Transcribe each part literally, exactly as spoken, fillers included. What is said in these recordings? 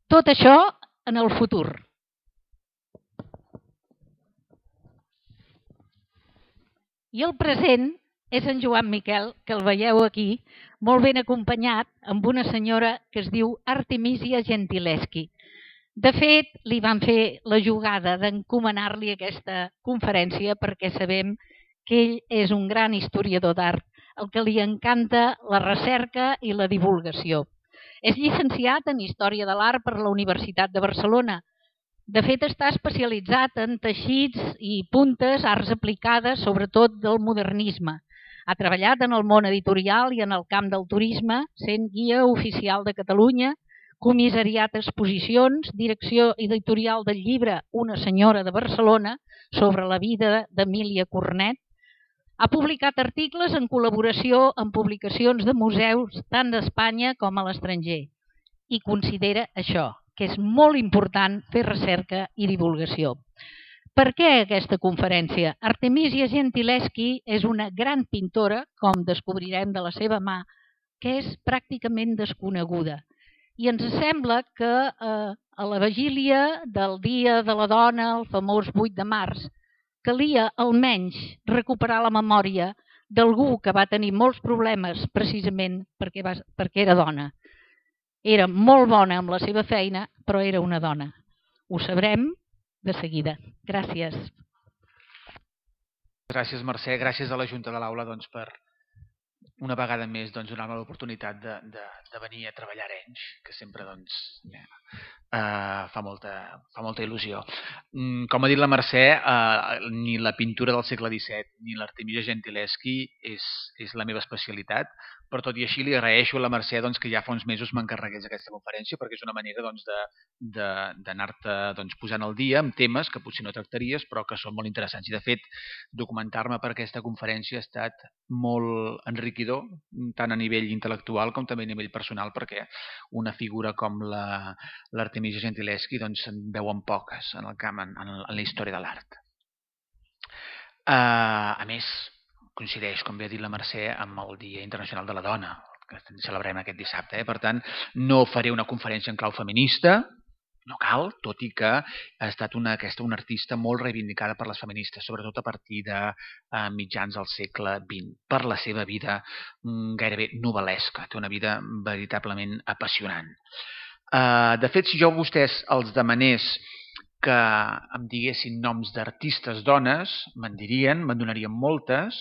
Tot això en el futur. I el present és en Joan Miquel, que el veieu aquí, molt ben acompanyat amb una senyora que es diu Artemisia Gentileschi. De fet, li van fer la jugada d'encomanar-li aquesta conferència perquè sabem que ell és un gran historiador d'art, el que li encanta la recerca i la divulgació. És llicenciat en Història de l'Art per la Universitat de Barcelona. De fet, està especialitzat en teixits i puntes, arts aplicades, sobretot del modernisme. Ha treballat en el món editorial i en el camp del turisme, sent guia oficial de Catalunya, comissariat exposicions, direcció editorial del llibre Una senyora de Barcelona sobre la vida d'Emília Cornet. Ha publicat articles en col·laboració amb publicacions de museus tant d'Espanya com a l'estranger i considera això, que és molt important fer recerca i divulgació. Per què aquesta conferència? Artemisia Gentileschi és una gran pintora, com descobrirem de la seva mà, que és pràcticament desconeguda. I ens sembla que eh, a la vigília del Dia de la Dona, el famós vuit de març, calia almenys recuperar la memòria d'algú que va tenir molts problemes precisament perquè, va, perquè era dona. Era molt bona amb la seva feina, però era una dona. Ho sabrem de seguida. Gràcies. Gràcies, Mercè. Gràcies a la Junta de l'Aula doncs, per una vegada més doncs, donar-me l'oportunitat de, de, de venir a treballar a Arenys, que sempre doncs, eh, fa, molta, fa molta il·lusió. Mm, com ha dit la Mercè, eh, ni la pintura del segle disset ni l'Artemisia Gentileschi és, és la meva especialitat, però tot i així li agraeixo a la Mercè doncs, que ja fa uns mesos m'encarregués aquesta conferència, perquè és una manera doncs, d'anar-te doncs, posant al dia amb temes que potser no tractaries, però que són molt interessants. I de fet, documentar-me per aquesta conferència ha estat molt enriquidor, tant a nivell intel·lectual com també a nivell personal, perquè una figura com l'Artemisia Gentileschi doncs, se'n veuen poques en el camp, en, en la història de l'art. Uh, a més, coincideix, com bé ha dit la Mercè, amb el Dia Internacional de la Dona, que celebrem aquest dissabte. Eh? Per tant, no faré una conferència en clau feminista, no cal, tot i que ha estat una, aquesta, una artista molt reivindicada per les feministes, sobretot a partir de eh, mitjans del segle vint, per la seva vida mm, gairebé novel·lesca. Té una vida veritablement apassionant. Uh, de fet, si jo a vostès els demanés que em diguessin noms d'artistes dones, me'n dirien, me'n donarien moltes,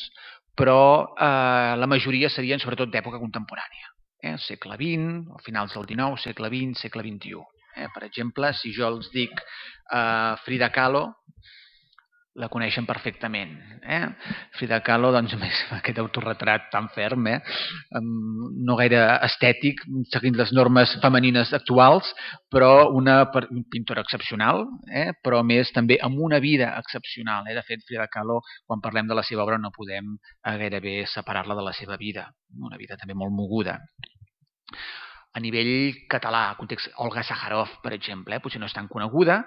però eh, la majoria serien sobretot d'època contemporània. Eh? Segle vint, o finals del dinou, segle vint, segle vint-i-u. Eh? Per exemple, si jo els dic eh, Frida Kahlo, la coneixen perfectament. Eh? Frida Kahlo, doncs, més aquest autorretrat tan ferm, eh? no gaire estètic, seguint les normes femenines actuals, però una pintora excepcional, eh? però més també amb una vida excepcional. Eh? De fet, Frida Kahlo, quan parlem de la seva obra, no podem eh, gairebé separar-la de la seva vida. Una vida també molt moguda. A nivell català, context, Olga Sakharov, per exemple, eh? potser no és tan coneguda,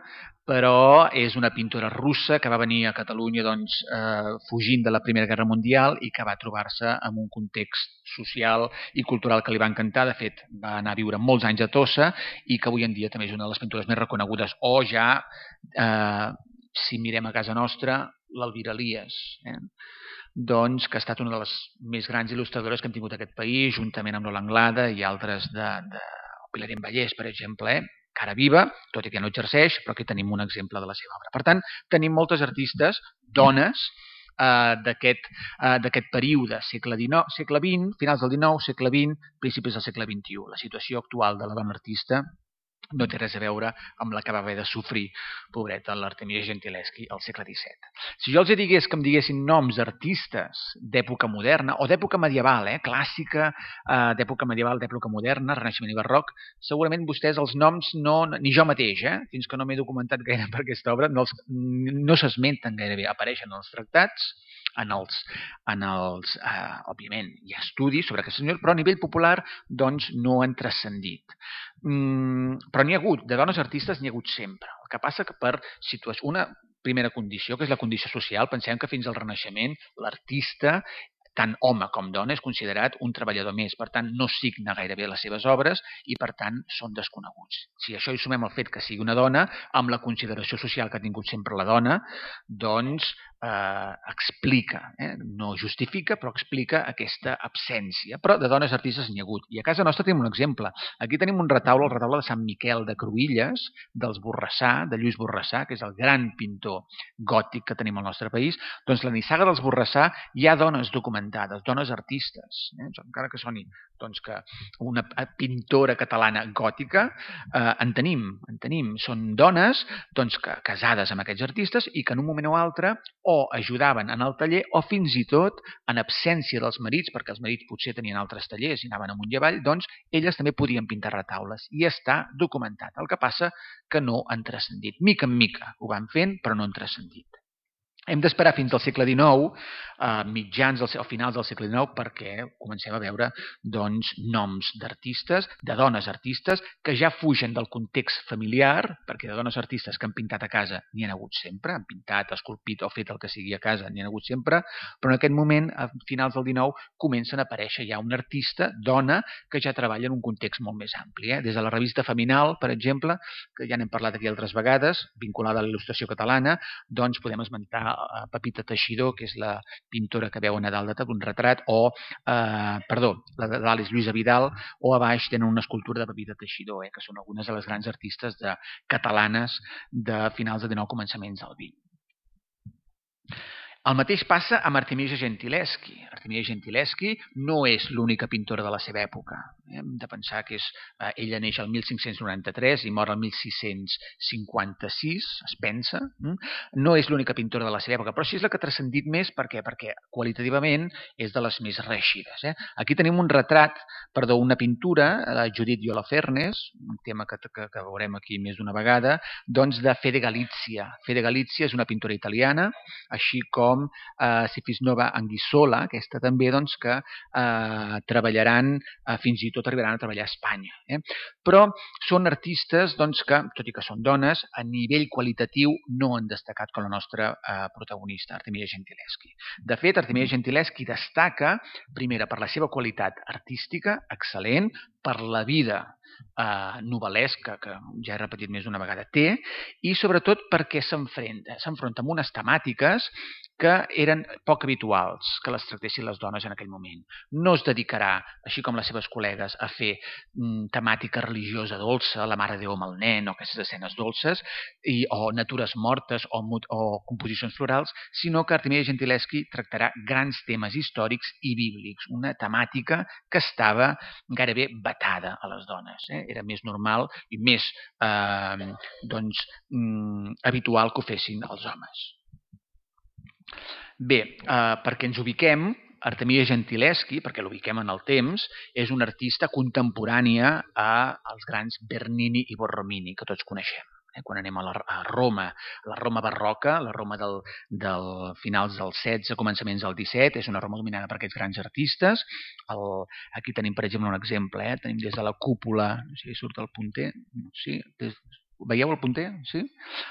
però és una pintora russa que va venir a Catalunya doncs, eh, fugint de la Primera Guerra Mundial i que va trobar-se en un context social i cultural que li va encantar. De fet, va anar a viure molts anys a Tossa i que avui en dia també és una de les pintures més reconegudes. O ja, eh, si mirem a casa nostra, l'Elvira Elias, eh? doncs, que ha estat una de les més grans il·lustradores que hem tingut aquest país, juntament amb l'Ola Anglada i altres de, de Pilarén Vallès, per exemple, eh? cara viva, tot i que no exerceix, però aquí tenim un exemple de la seva obra. Per tant, tenim moltes artistes, dones, eh, d'aquest eh, període, segle dinou, segle vint, finals del dinou, segle vint, principis del segle vint-i-u. La situació actual de la dona artista no té res a veure amb la que va haver de sofrir, pobreta, l'Artemisia Gentileschi al segle disset. Si jo els digués que em diguessin noms d'artistes d'època moderna o d'època medieval, eh, clàssica, eh, d'època medieval, d'època moderna, Renaixement i Barroc, segurament vostès els noms, no, ni jo mateix, eh, fins que no m'he documentat gaire per aquesta obra, no, els, no s'esmenten gairebé, apareixen en els tractats, en els, en els eh, òbviament, hi ha estudis sobre aquest senyor, però a nivell popular doncs, no han transcendit. Mm, però n'hi ha hagut, de dones artistes n'hi ha hagut sempre. El que passa que per situació, una primera condició, que és la condició social, pensem que fins al Renaixement l'artista tant home com dona, és considerat un treballador més. Per tant, no signa gairebé les seves obres i, per tant, són desconeguts. Si això hi sumem el fet que sigui una dona, amb la consideració social que ha tingut sempre la dona, doncs eh, explica, eh? no justifica, però explica aquesta absència. Però de dones artistes n'hi ha hagut. I a casa nostra tenim un exemple. Aquí tenim un retaule, el retaule de Sant Miquel de Cruïlles, dels Borrassà, de Lluís Borrassà, que és el gran pintor gòtic que tenim al nostre país. Doncs la nissaga dels Borrassà hi ha dones documentades, dones artistes, eh? encara que soni doncs, que una pintora catalana gòtica, eh, en tenim, en tenim. Són dones doncs, que, casades amb aquests artistes i que en un moment o altre o ajudaven en el taller o fins i tot en absència dels marits, perquè els marits potser tenien altres tallers i anaven amunt i avall, doncs elles també podien pintar retaules i està documentat. El que passa que no han transcendit. Mica en mica ho van fent, però no han transcendit. Hem d'esperar fins al segle dinou, a mitjans o finals del segle dinou, perquè comencem a veure doncs, noms d'artistes, de dones artistes, que ja fugen del context familiar, perquè de dones artistes que han pintat a casa n'hi ha hagut sempre, han pintat, esculpit o fet el que sigui a casa, n'hi ha hagut sempre, però en aquest moment, a finals del dinou, comencen a aparèixer ja una artista, dona, que ja treballa en un context molt més ampli. Eh? Des de la revista Feminal, per exemple, que ja n'hem parlat aquí altres vegades, vinculada a la il·lustració catalana, doncs podem esmentar Pepita Teixidor, que és la pintora que veuen a dalt de tot, un retrat, o, eh, perdó, la de dalt és Lluïsa Vidal, o a baix tenen una escultura de Pepita Teixidor, eh, que són algunes de les grans artistes de, catalanes de finals del dinou, començaments del vint. El mateix passa amb Artemisia Gentileschi. Artemisia Gentileschi no és l'única pintora de la seva època. Hem de pensar que és, eh, ella neix el mil cinc-cents noranta-tres i mor el mil sis-cents cinquanta-sis, es pensa. No és l'única pintora de la seva època, però sí és la que ha transcendit més. Per què? Perquè qualitativament és de les més reeixides. Eh? Aquí tenim un retrat, perdó, una pintura de Judith Holofernes, un tema que, que, que veurem aquí més d'una vegada, doncs de Fede Galizia. Fede Galizia és una pintora italiana, així com com eh, Sifisnova Anguissola, aquesta també, doncs, que eh, treballaran, eh, fins i tot arribaran a treballar a Espanya. Eh? Però són artistes doncs, que, tot i que són dones, a nivell qualitatiu no han destacat com la nostra eh, protagonista, Artemisia Gentileschi. De fet, Artemisia Gentileschi destaca, primera, per la seva qualitat artística, excel·lent, per la vida eh, novel·lesca, que ja he repetit més d'una vegada, té, i sobretot perquè s'enfronta s'enfronta amb unes temàtiques que eren poc habituals que les tractessin les dones en aquell moment. No es dedicarà, així com les seves col·legues, a fer mm, temàtica religiosa dolça, la Mare de Déu amb el nen, o aquestes escenes dolces, i, o natures mortes, o, o composicions florals, sinó que Artemisia Gentileschi tractarà grans temes històrics i bíblics, una temàtica que estava gairebé vetada a les dones. Eh? Era més normal i més eh, doncs, mm, habitual que ho fessin els homes. Bé, eh, perquè ens ubiquem, Artemisia Gentileschi, perquè l'ubiquem en el temps, és una artista contemporània als grans Bernini i Borromini, que tots coneixem. Eh? Quan anem a, la, a Roma, la Roma barroca, la Roma del, del finals del setze, començaments del disset, és una Roma dominada per aquests grans artistes. El, aquí tenim, per exemple, un exemple. Eh? Tenim des de la cúpula, no sé si surt el punter, sí, des, veieu el punter? Sí?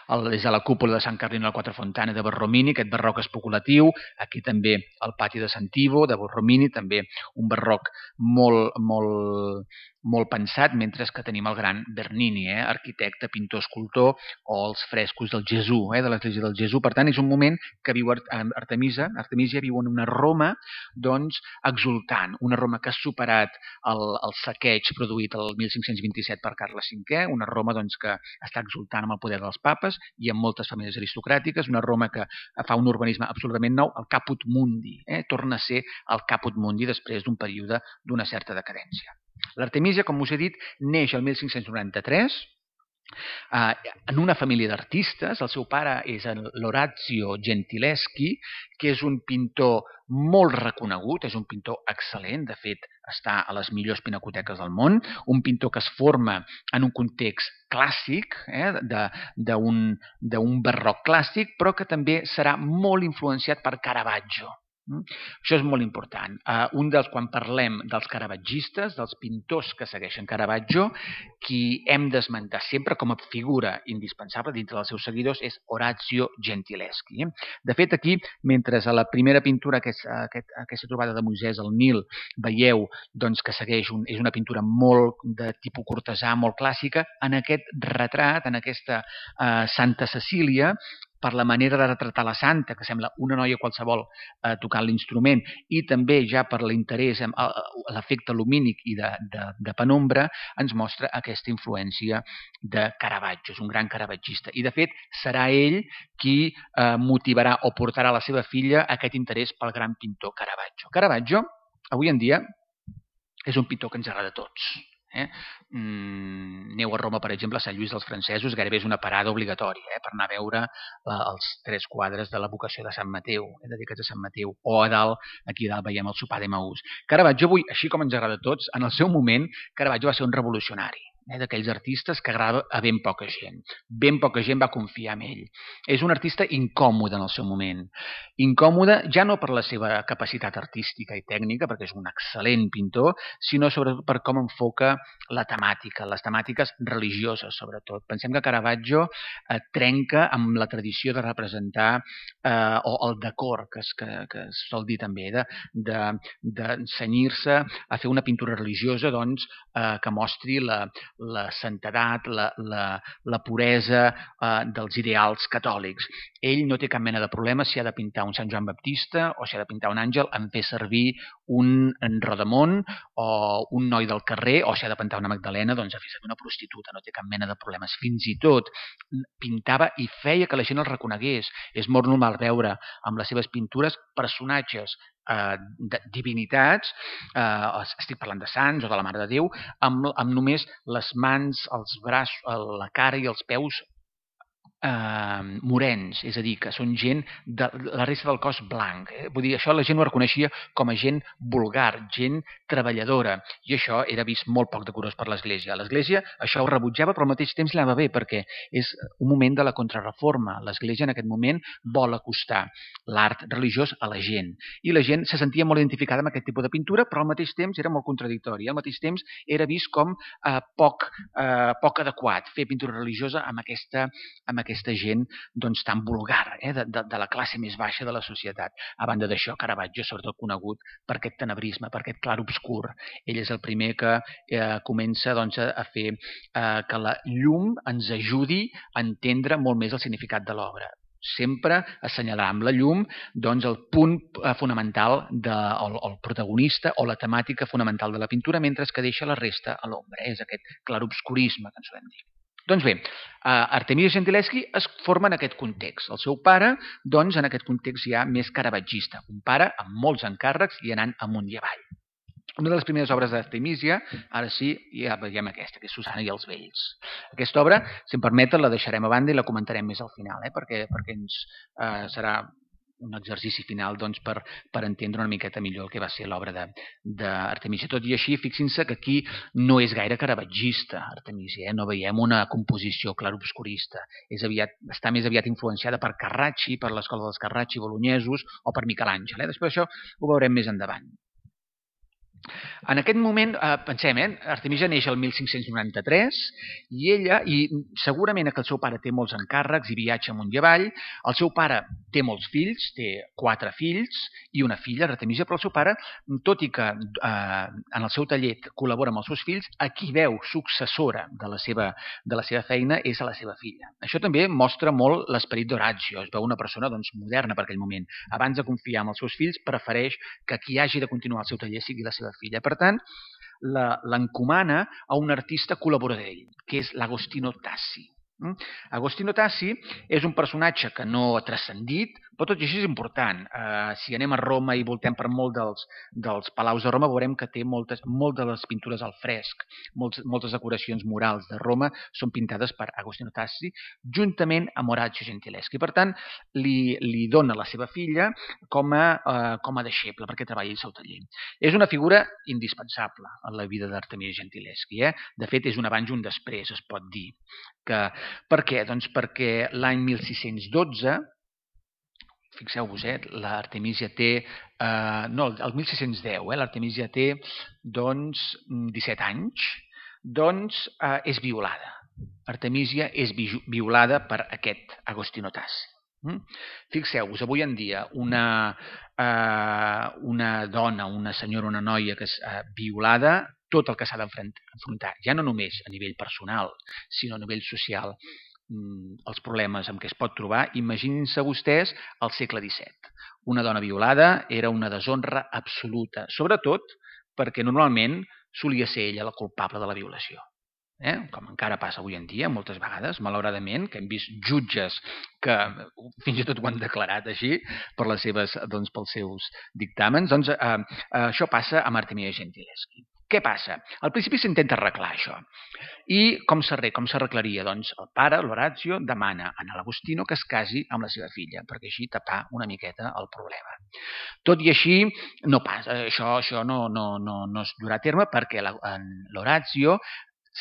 El, des de la cúpula de Sant Carlino a la Quatre Fontane de Borromini, aquest barroc especulatiu. Aquí també el pati de Sant Ivo de Borromini, també un barroc molt, molt, molt pensat, mentre que tenim el gran Bernini, eh? arquitecte, pintor, escultor, o els frescos del Gesù, eh? de l'església del Gesù. Per tant, és un moment que viu Artemisia, Artemisia viu en una Roma doncs, exultant, una Roma que ha superat el, el saqueig produït el mil cinc-cents vint-i-set per Carles cinquè, una Roma doncs, que està exultant amb el poder dels papes i amb moltes famílies aristocràtiques, una Roma que fa un urbanisme absolutament nou, el Caput Mundi, eh? torna a ser el Caput Mundi després d'un període d'una certa decadència. L'Artemisia, com us he dit, neix el mil cinc-cents noranta-tres, Uh, en una família d'artistes. El seu pare és l'Orazio Gentileschi, que és un pintor molt reconegut, és un pintor excel·lent, de fet està a les millors pinacoteques del món, un pintor que es forma en un context clàssic, eh, d'un barroc clàssic, però que també serà molt influenciat per Caravaggio. Això és molt important. Un dels, quan parlem dels caravatgistes, dels pintors que segueixen Caravaggio, qui hem d'esmentar sempre com a figura indispensable dintre dels seus seguidors és Orazio Gentileschi. De fet, aquí, mentre a la primera pintura, aquesta, aquesta trobada de Moisès al Nil, veieu doncs, que segueix un, és una pintura molt de tipus cortesà, molt clàssica, en aquest retrat, en aquesta eh, Santa Cecília, per la manera de retratar la santa, que sembla una noia qualsevol eh, tocant l'instrument, i també ja per l'interès, l'efecte lumínic i de, de, de penombra, ens mostra aquesta influència de Caravaggio. És un gran caravatgista. I, de fet, serà ell qui eh, motivarà o portarà a la seva filla aquest interès pel gran pintor Caravaggio. Caravaggio, avui en dia, és un pintor que ens agrada a tots. Eh? Mm, aneu a Roma, per exemple, a Sant Lluís dels Francesos, gairebé és una parada obligatòria eh? per anar a veure eh, els tres quadres de la vocació de Sant Mateu, eh? dedicats a Sant Mateu, o a dalt, aquí a dalt veiem el sopar d'Emaús. Caravaggio, avui, així com ens agrada a tots, en el seu moment, Caravaggio va ser un revolucionari, eh? d'aquells artistes que agrada a ben poca gent. Ben poca gent va confiar en ell. És un artista incòmode en el seu moment. Incòmode ja no per la seva capacitat artística i tècnica, perquè és un excel·lent pintor, sinó sobretot per com enfoca la temàtica, les temàtiques religioses, sobretot. Pensem que Caravaggio eh, trenca amb la tradició de representar eh, o el decor, que es, que, que es sol dir també, de, de, de cenyir-se a fer una pintura religiosa doncs, eh, que mostri la, la santedat, la, la, la puresa eh, dels ideals catòlics. Ell no té cap mena de problema si ha de pintar un Sant Joan Baptista o si ha de pintar un àngel en fer servir un rodamont o un noi del carrer, o si ha de pintar una Magdalena, doncs a fer servir una prostituta, no té cap mena de problemes. Fins i tot pintava i feia que la gent el reconegués. És molt normal veure amb les seves pintures personatges eh, de divinitats, eh, estic parlant de sants o de la Mare de Déu, amb, amb només les mans, els braços, la cara i els peus eh, morens, és a dir, que són gent de la resta del cos blanc. Eh? Vull dir, això la gent ho reconeixia com a gent vulgar, gent treballadora, i això era vist molt poc decorós per l'Església. L'Església això ho rebutjava, però al mateix temps li anava bé, perquè és un moment de la contrarreforma. L'Església en aquest moment vol acostar l'art religiós a la gent, i la gent se sentia molt identificada amb aquest tipus de pintura, però al mateix temps era molt contradictori. Al mateix temps era vist com eh, poc, eh, poc adequat fer pintura religiosa amb aquesta, amb aquesta gent doncs, tan vulgar, eh, de, de, de la classe més baixa de la societat. A banda d'això, Caravaggio és sobretot conegut per aquest tenebrisme, per aquest clar obscur. Ell és el primer que eh, comença doncs, a fer eh, que la llum ens ajudi a entendre molt més el significat de l'obra. Sempre assenyalar amb la llum doncs, el punt fonamental, de, el, el protagonista o la temàtica fonamental de la pintura, mentre que deixa la resta a l'ombra. Eh? És aquest clarobscurisme que ens solem dir. Doncs bé, Artemisia Gentileschi es forma en aquest context. El seu pare, doncs, en aquest context ja més caravaggista. Un pare amb molts encàrrecs i anant amunt i avall. Una de les primeres obres d'Artemisia, ara sí, ja veiem aquesta, que és Susana i els vells. Aquesta obra, si em permeten, la deixarem a banda i la comentarem més al final, eh? perquè, perquè ens eh, serà un exercici final doncs, per, per entendre una miqueta millor el que va ser l'obra d'Artemisia. Tot i així, fixin-se que aquí no és gaire caravatgista, Artemisia, eh? No veiem una composició clarobscurista. És aviat, està més aviat influenciada per Carracci, per l'escola dels Carracci bolonyesos o per Miquelàngel. Eh? Després això ho veurem més endavant. En aquest moment, eh, pensem, eh, Artemisia neix el mil cinc-cents noranta-tres i ella, i segurament que el seu pare té molts encàrrecs i viatja amunt i avall, el seu pare té molts fills, té quatre fills i una filla, Artemisia, però el seu pare, tot i que eh, en el seu taller col·labora amb els seus fills, a qui veu successora de la seva, de la seva feina és a la seva filla. Això també mostra molt l'esperit d'Orazio, es veu una persona doncs, moderna per aquell moment. Abans de confiar en els seus fills, prefereix que qui hagi de continuar el seu taller sigui la seva filla. Per tant, l'encomana a un artista col·laborador d'ell, que és l'Agostino Tassi. Agostino Tassi és un personatge que no ha transcendit, però tot i així és important. Uh, si anem a Roma i voltem per molt dels, dels palaus de Roma, veurem que té moltes, moltes de les pintures al fresc, moltes, moltes decoracions murals de Roma són pintades per Agostino Tassi, juntament amb Orazio Gentileschi. Per tant, li, li dona la seva filla com a, uh, com a deixeble perquè treballi al seu taller. És una figura indispensable en la vida d'Artemisia Gentileschi. Eh? De fet, és un abans i un després, es pot dir. Que, per què? Doncs perquè l'any mil sis-cents dotze fixeu-vos, eh, l'Artemísia té, eh, no, el mil sis-cents deu, eh, l'Artemísia té, doncs, disset anys, doncs eh, és violada. Artemísia és violada per aquest Agostino Tassi. Mm? Fixeu-vos, avui en dia una, eh, una dona, una senyora, una noia que és eh, violada, tot el que s'ha d'enfrontar, ja no només a nivell personal, sinó a nivell social, mm, els problemes amb què es pot trobar, imaginin-se vostès al segle disset. Una dona violada era una deshonra absoluta, sobretot perquè normalment solia ser ella la culpable de la violació. Eh? Com encara passa avui en dia, moltes vegades, malauradament, que hem vist jutges que fins i tot ho han declarat així per les seves, doncs, pels seus dictàmens. Doncs, eh, eh, això passa amb Artemisia Gentileschi. Què passa? Al principi s'intenta arreglar això. I com s'arreglaria? Doncs el pare, l'Orazio, demana a l'Agostino que es casi amb la seva filla, perquè així tapar una miqueta el problema. Tot i així, no passa, això, això no, no, no, no es durà a terme perquè l'Orazio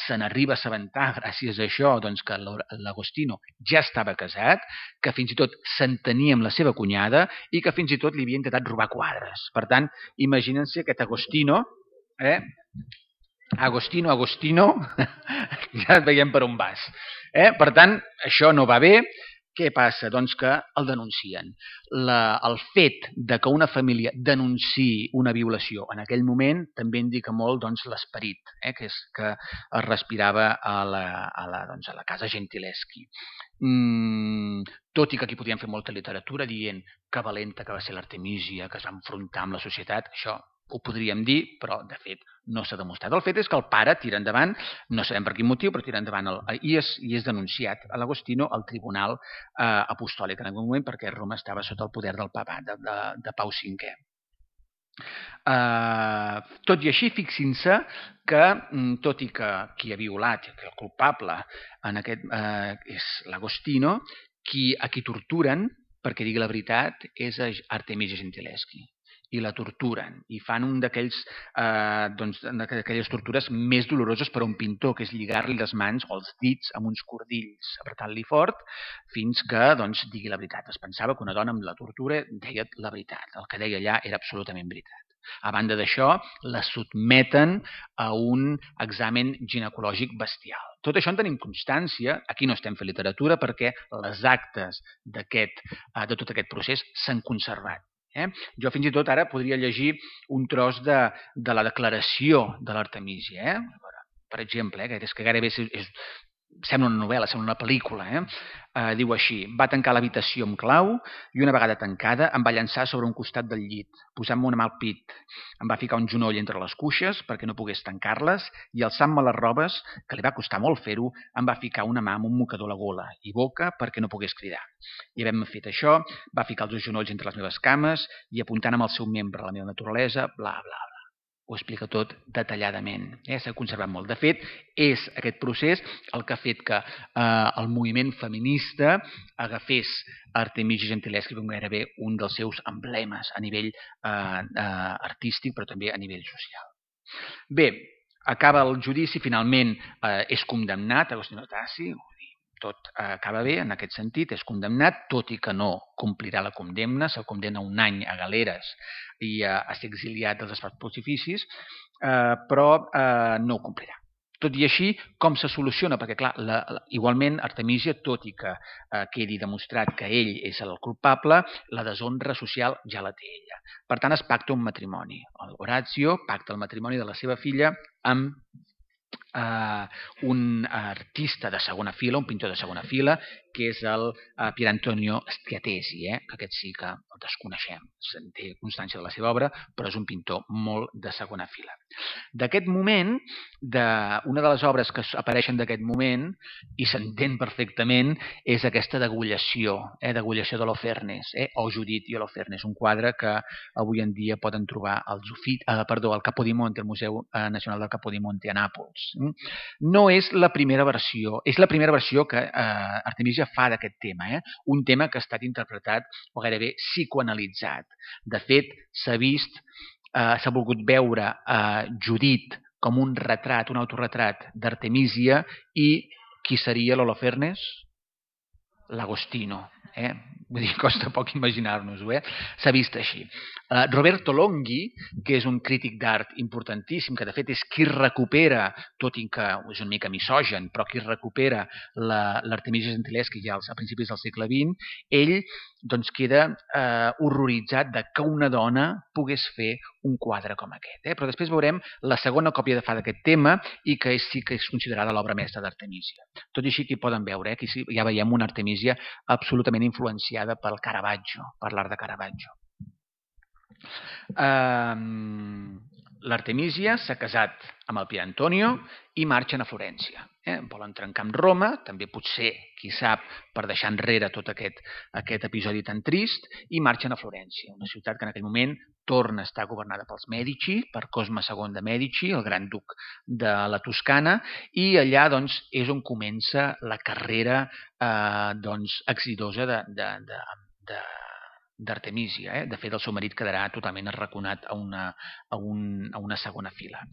se n'arriba a assabentar, gràcies a això, doncs, que l'Agostino ja estava casat, que fins i tot s'entenia amb la seva cunyada i que fins i tot li havia intentat robar quadres. Per tant, imaginen-se aquest Agostino, eh? Agostino, Agostino, ja veiem per on vas. Eh? Per tant, això no va bé. Què passa? Doncs que el denuncien. La, el fet de que una família denunciï una violació en aquell moment també indica molt, doncs, l'esperit, eh, que, és, que es respirava a la, a la, doncs, a la casa Gentileschi. Mm, tot i que aquí podíem fer molta literatura dient que valenta que va ser l'Artemísia, que es va enfrontar amb la societat, això ho podríem dir, però de fet no s'ha demostrat. El fet és que el pare tira endavant, no sabem per quin motiu, però tira endavant el, i, és, i és denunciat a l'Agostino al Tribunal eh, Apostòlic en algun moment perquè Roma estava sota el poder del papat, de, de, de Pau cinquè. Uh, tot i així, fixin-se que, tot i que qui ha violat, que el culpable en aquest, uh, és l'Agostino, qui, a qui torturen, perquè digui la veritat, és Artemisia Gentileschi. I la torturen, i fan un d'aquells eh, doncs, d'aquelles tortures més doloroses per a un pintor, que és lligar-li les mans o els dits amb uns cordills, apretant-li fort, fins que doncs, digui la veritat. Es pensava que una dona amb la tortura deia la veritat. El que deia allà era absolutament veritat. A banda d'això, la sotmeten a un examen ginecològic bestial. Tot això en tenim constància, aquí no estem fent literatura, perquè les actes d'aquest, de tot aquest procés s'han conservat. Eh? Jo fins i tot ara podria llegir un tros de, de la declaració de l'Artemísia. Eh? Per exemple, eh? que és que gairebé és, és, sembla una novel·la, sembla una pel·lícula. Eh? Eh, diu així: va tancar l'habitació amb clau i una vegada tancada em va llançar sobre un costat del llit, posant-me una mà al pit. Em va ficar un genoll entre les cuixes perquè no pogués tancar-les i alçant-me les robes, que li va costar molt fer-ho, em va ficar una mà amb un mocador a la gola i boca perquè no pogués cridar. I havent fet això, va ficar els dos genolls entre les meves cames i apuntant amb el seu membre a la meva naturalesa, bla, bla, bla. Ho explica tot detalladament. Eh? S'ha conservat molt. De fet, és aquest procés el que ha fet que eh, el moviment feminista agafés Artemisia Gentileschi com gairebé un dels seus emblemes a nivell eh, eh, artístic, però també a nivell social. Bé, acaba el judici, finalment eh, és condemnat Agostino Tassi, tot acaba bé en aquest sentit, és condemnat, tot i que no complirà la condemna, se'l condemna un any a galeres i a, a ser exiliat dels espais pontificis, eh, però eh, no ho complirà. Tot i així, com se soluciona? Perquè, clar, la, la, igualment, Artemisia, tot i que eh, quedi demostrat que ell és el culpable, la deshonra social ja la té ella. Per tant, es pacta un matrimoni. L'Orazio pacta el matrimoni de la seva filla amb Uh, un artista de segona fila, un pintor de segona fila, que és el uh, Pier Antonio Schiatesi, eh? que aquest sí que el desconeixem, se'n té constància de la seva obra, però és un pintor molt de segona fila. D'aquest moment, de, una de les obres que apareixen d'aquest moment, i s'entén perfectament, és aquesta degollació, eh? degollació de l'Holofernes, eh? o Judit i Holofernes, un quadre que avui en dia poden trobar al, Zufit, eh, perdó, al Capodimonte, al Museu Nacional del Capodimonte a Nàpols. No és la primera versió, és la primera versió que eh, Artemisia fa d'aquest tema, eh? un tema que ha estat interpretat o gairebé psicoanalitzat. De fet, s'ha vist, eh, s'ha volgut veure eh, Judit com un retrat, un autorretrat d'Artemisia, i qui seria l'Holofernes? L'Agostino. Eh? vull dir, costa poc imaginar-nos-ho, eh? S'ha vist així. Uh, Roberto Longhi, que és un crític d'art importantíssim, que de fet és qui recupera, tot i que és una mica misògen, però qui recupera l'Artemisia Gentileschi ja a principis del segle vint, ell doncs, queda eh, horroritzat de que una dona pogués fer un quadre com aquest. Eh? Però després veurem la segona còpia de fa d'aquest tema i que és, sí que és considerada l'obra mestra d'Artemisia. Tot i així, aquí poden veure, eh? Aquí sí, ja veiem una Artemisia absolutament influenciada pel Caravaggio, per l'art de Caravaggio. Um, L'Artemisia s'ha casat amb el Pier Antonio i marxen a Florència. Eh? Volen trencar amb Roma, també potser, qui sap, per deixar enrere tot aquest, aquest episodi tan trist, i marxen a Florència, una ciutat que en aquell moment torna a estar governada pels Mèdici, per Cosme segon de Mèdici, el gran duc de la Toscana, i allà doncs, és on comença la carrera eh, doncs, exitosa de, de, de, de d'Artemisia. Eh? De fet, el seu marit quedarà totalment arraconat a una, a, un, a una segona fila.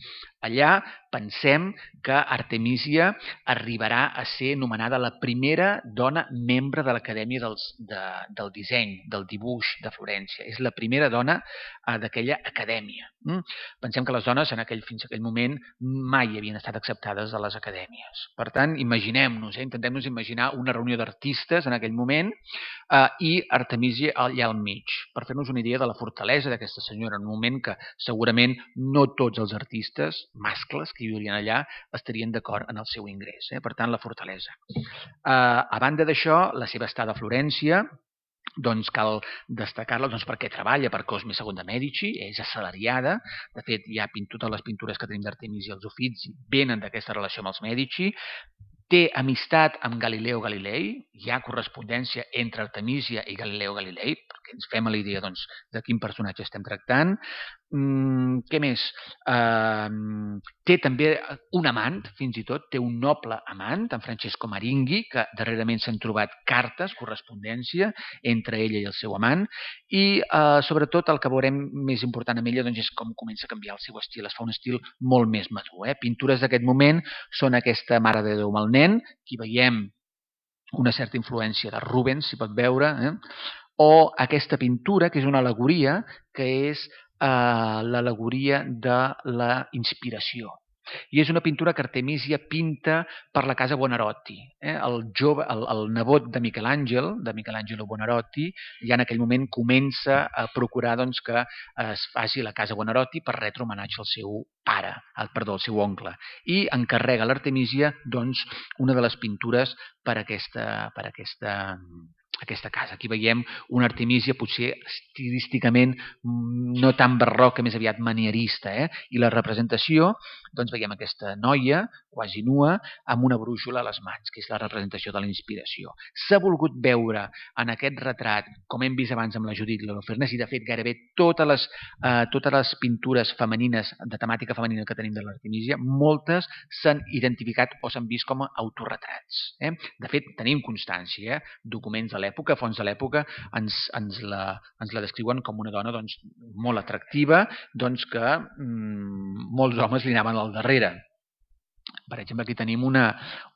Allà pensem que Artemisia arribarà a ser nomenada la primera dona membre de l'Acadèmia de, del Disseny, del Dibuix de Florència. És la primera dona eh, d'aquella acadèmia. Mm? Pensem que les dones en aquell, fins a aquell moment mai havien estat acceptades a les acadèmies. Per tant, imaginem-nos, eh? intentem-nos imaginar una reunió d'artistes en aquell moment eh, i Artemisia allà al mig, per fer-nos una idea de la fortalesa d'aquesta senyora, en un moment que segurament no tots els artistes mascles que hi viurien allà estarien d'acord en el seu ingrés. Eh? Per tant, la fortalesa. Eh, a banda d'això, la seva estada a Florència, doncs cal destacar-la doncs, perquè treballa per Cosme segon de Mèdici, és assalariada, de fet hi ha totes les pintures que tenim d'Artemisia, els Uffizi, venen d'aquesta relació amb els Mèdici, té amistat amb Galileo Galilei, hi ha correspondència entre Artemisia i Galileo Galilei, perquè ens fem a la idea doncs, de quin personatge estem tractant. Mm, què més? Uh, té també un amant, fins i tot, té un noble amant, en Francesco Maringhi, que darrerament s'han trobat cartes, correspondència entre ella i el seu amant, i uh, sobretot el que veurem més important amb ella doncs, és com comença a canviar el seu estil, es fa un estil molt més madur. Eh? Pintures d'aquest moment són aquesta Mare de Déu amb el nen, aquí veiem una certa influència de Rubens, si pot veure, eh? O aquesta pintura, que és una al·legoria, que és eh, l'al·legoria de la inspiració. I és una pintura que Artemisia pinta per la casa Buonarroti. Eh? El, jove, el, el nebot de Michelangelo, de Michelangelo Buonarroti, ja en aquell moment comença a procurar doncs, que es faci la casa Buonarroti per retre homenatge al seu pare, al, perdó, al seu oncle. I encarrega a l'Artemisia doncs, una de les pintures per aquesta, per aquesta aquesta casa. Aquí veiem una Artemisia potser estilísticament no tan barroca, més aviat manierista. Eh? I la representació, doncs veiem aquesta noia, quasi nua, amb una brúixola a les mans, que és la representació de la inspiració. S'ha volgut veure en aquest retrat, com hem vist abans amb la Judit Holofernes, i de fet gairebé totes les, eh, totes les pintures femenines, de temàtica femenina que tenim de l'Artemisia, moltes s'han identificat o s'han vist com a autorretrats. Eh? De fet, tenim constància, eh? documents de l'època, fonts de l'època, ens, ens, la, ens la descriuen com una dona doncs, molt atractiva, doncs que mmm, molts homes li anaven al darrere. Per exemple, aquí tenim una,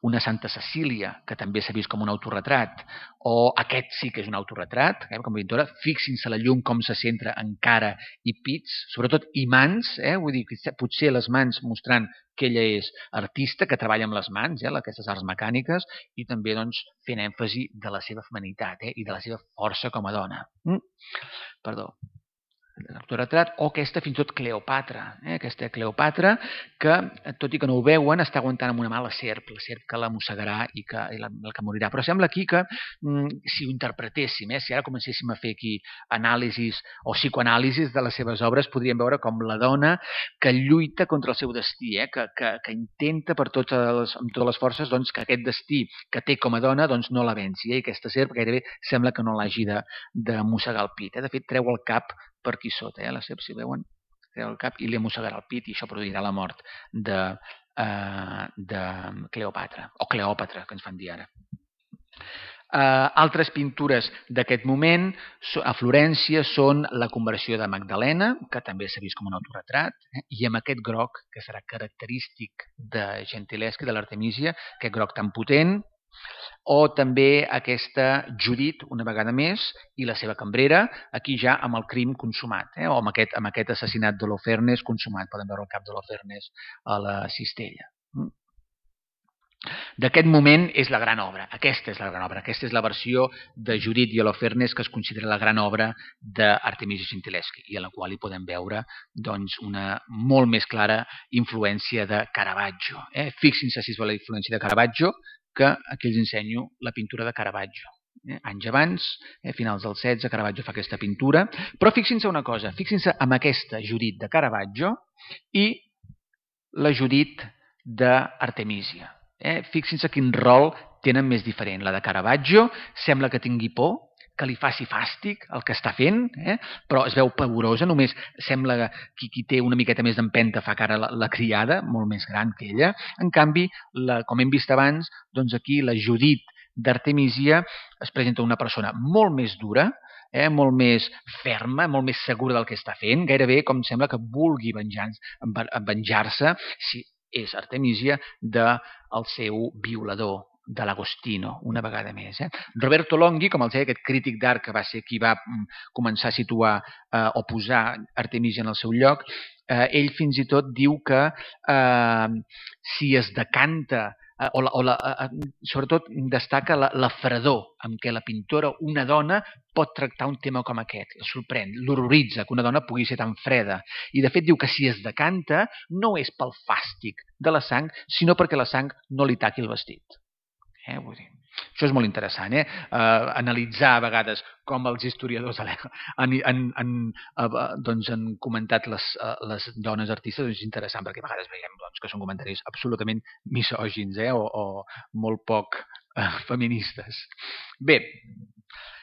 una Santa Cecília, que també s'ha vist com un autorretrat, o aquest sí que és un autorretrat, eh, com a pintora. Fixin-se la llum com se centra en cara i pits, sobretot i mans, eh, vull dir, potser les mans mostrant que ella és artista, que treballa amb les mans, eh, aquestes arts mecàniques, i també doncs, fent èmfasi de la seva feminitat eh, i de la seva força com a dona. Mm? Perdó. L'autoretrat, o aquesta fins i tot Cleopatra, eh? aquesta Cleopatra que, tot i que no ho veuen, està aguantant amb una mà la serp, la serp que la mossegarà i que, i la, la que morirà. Però sembla aquí que, mm, si ho interpretéssim, eh? si ara comencéssim a fer aquí anàlisis o psicoanàlisis de les seves obres, podríem veure com la dona que lluita contra el seu destí, eh? que, que, que intenta per totes les, amb totes les forces doncs, que aquest destí que té com a dona doncs, no la venci. Eh? I aquesta serp gairebé sembla que no l'hagi de, de mossegar el pit. Eh? De fet, treu el cap per aquí sota, eh? la serp, si veuen, treu el cap i li mossegarà el pit i això produirà la mort de, uh, de Cleopatra, o Cleòpatra, que ens fan dir ara. Uh, altres pintures d'aquest moment a Florència són la conversió de Magdalena, que també s'ha vist com un autorretrat, eh? i amb aquest groc, que serà característic de Gentileschi, de l'Artemisia, aquest groc tan potent, o també aquesta Judit, una vegada més, i la seva cambrera, aquí ja amb el crim consumat, eh? o amb aquest, amb aquest assassinat d'Holofernes consumat. Podem veure el cap d'Holofernes a la cistella. D'aquest moment és la gran obra. Aquesta és la gran obra. Aquesta és la versió de Judit i Holofernes que es considera la gran obra d'Artemisi Gentileschi i a la qual hi podem veure doncs, una molt més clara influència de Caravaggio. Eh? Fixin-se si es vol la influència de Caravaggio, que aquí els ensenyo la pintura de Caravaggio. Eh? Anys abans, eh? finals del setze, Caravaggio fa aquesta pintura. Però fixin-se una cosa, fixin-se amb aquesta Judit de Caravaggio i la Judit d'Artemisia. Eh? Fixin-se quin rol tenen més diferent. La de Caravaggio sembla que tingui por, que li faci fàstic el que està fent, eh? però es veu pavorosa, només sembla que qui, qui té una miqueta més d'empenta fa cara la, la criada, molt més gran que ella. En canvi, la, com hem vist abans, doncs aquí la Judit d'Artemisia es presenta una persona molt més dura, eh? molt més ferma, molt més segura del que està fent, gairebé com sembla que vulgui venjar-se, si és Artemisia, del seu violador, de l'Agostino, una vegada més. Eh? Roberto Longhi, com els deia, aquest crític d'art que va ser qui va començar a situar eh, o posar Artemisia en el seu lloc, eh, ell fins i tot diu que eh, si es decanta eh, o, la, o la, eh, sobretot destaca la, la fredor amb què la pintora, una dona, pot tractar un tema com aquest. El sorprèn, l'horroritza que una dona pugui ser tan freda. I de fet diu que si es decanta no és pel fàstic de la sang, sinó perquè la sang no li taqui el vestit. Eh, vull dir, això és molt interessant, eh? Uh, analitzar a vegades com els historiadors han, han, han, uh, doncs han comentat les, uh, les dones artistes, és interessant perquè a vegades veiem doncs, que són comentaris absolutament misògins eh? o, o molt poc uh, feministes. Bé,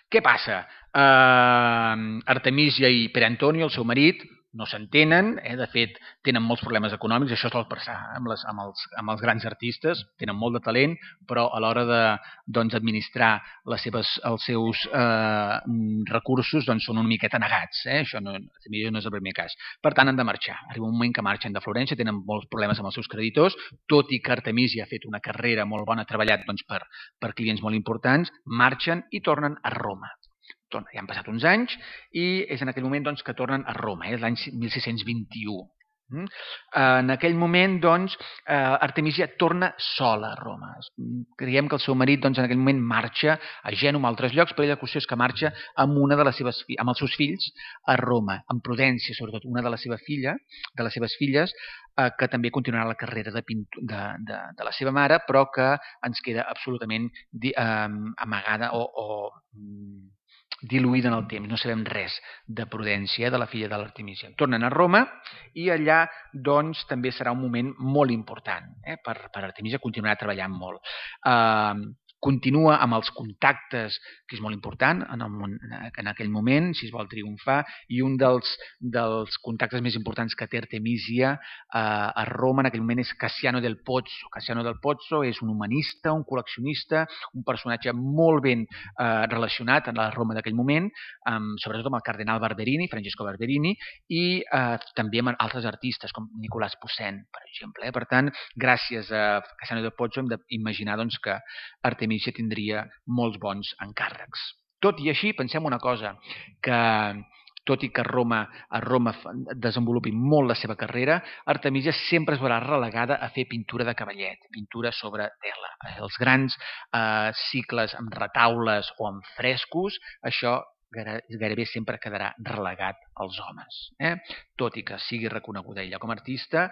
què passa? Uh, Artemisia i Pere Antonio, el seu marit, no s'entenen, eh? De fet, tenen molts problemes econòmics, això sol passar amb, les, amb, els, amb els grans artistes, tenen molt de talent, però a l'hora de doncs, administrar les seves, els seus eh, recursos doncs, són una miqueta negats. Eh? Això no, no és el primer cas. Per tant, han de marxar. Arriba un moment que marxen de Florència, tenen molts problemes amb els seus creditors, tot i que Artemisia ha fet una carrera molt bona, ha treballat doncs, per, per clients molt importants, marxen i tornen a Roma. Ja han passat uns anys i és en aquell moment doncs, que tornen a Roma, eh? l'any mil sis-cents vint-i-u. En aquell moment, doncs, Artemisia torna sola a Roma. Creiem que el seu marit, doncs, en aquell moment marxa a Gènova, a altres llocs, però la qüestió és que marxa amb una de les seves, amb els seus fills a Roma, amb Prudència, sobretot una de la seva filla, de les seves filles, que també continuarà la carrera de, de, de, de la seva mare, però que ens queda absolutament amagada o, o diluïda en el temps, no sabem res de Prudència, de la filla de l'Artemisia. Tornen a Roma i allà doncs, també serà un moment molt important eh, per, per Artemisia, continuarà treballant molt. Uh, continua amb els contactes, que és molt important en, el, en aquell moment, si es vol triomfar, i un dels, dels contactes més importants que té Artemisia eh, a Roma en aquell moment és Cassiano del Pozzo. Cassiano del Pozzo és un humanista, un col·leccionista, un personatge molt ben eh, relacionat a la Roma d'aquell moment, amb, sobretot amb el cardenal Barberini, Francesco Barberini, i eh, també amb altres artistes, com Nicolás Poussin, per exemple. Eh? Per tant, gràcies a Cassiano del Pozzo hem d'imaginar doncs, que Artemisia tindria molts bons encàrrecs. Tot i així, pensem una cosa, que tot i que Roma, a Roma desenvolupi molt la seva carrera, Artemisia sempre es veurà relegada a fer pintura de cavallet, pintura sobre tela. Els grans eh, cicles amb retaules o amb frescos, això gairebé sempre quedarà relegat als homes. Eh? Tot i que sigui reconeguda ella com a artista,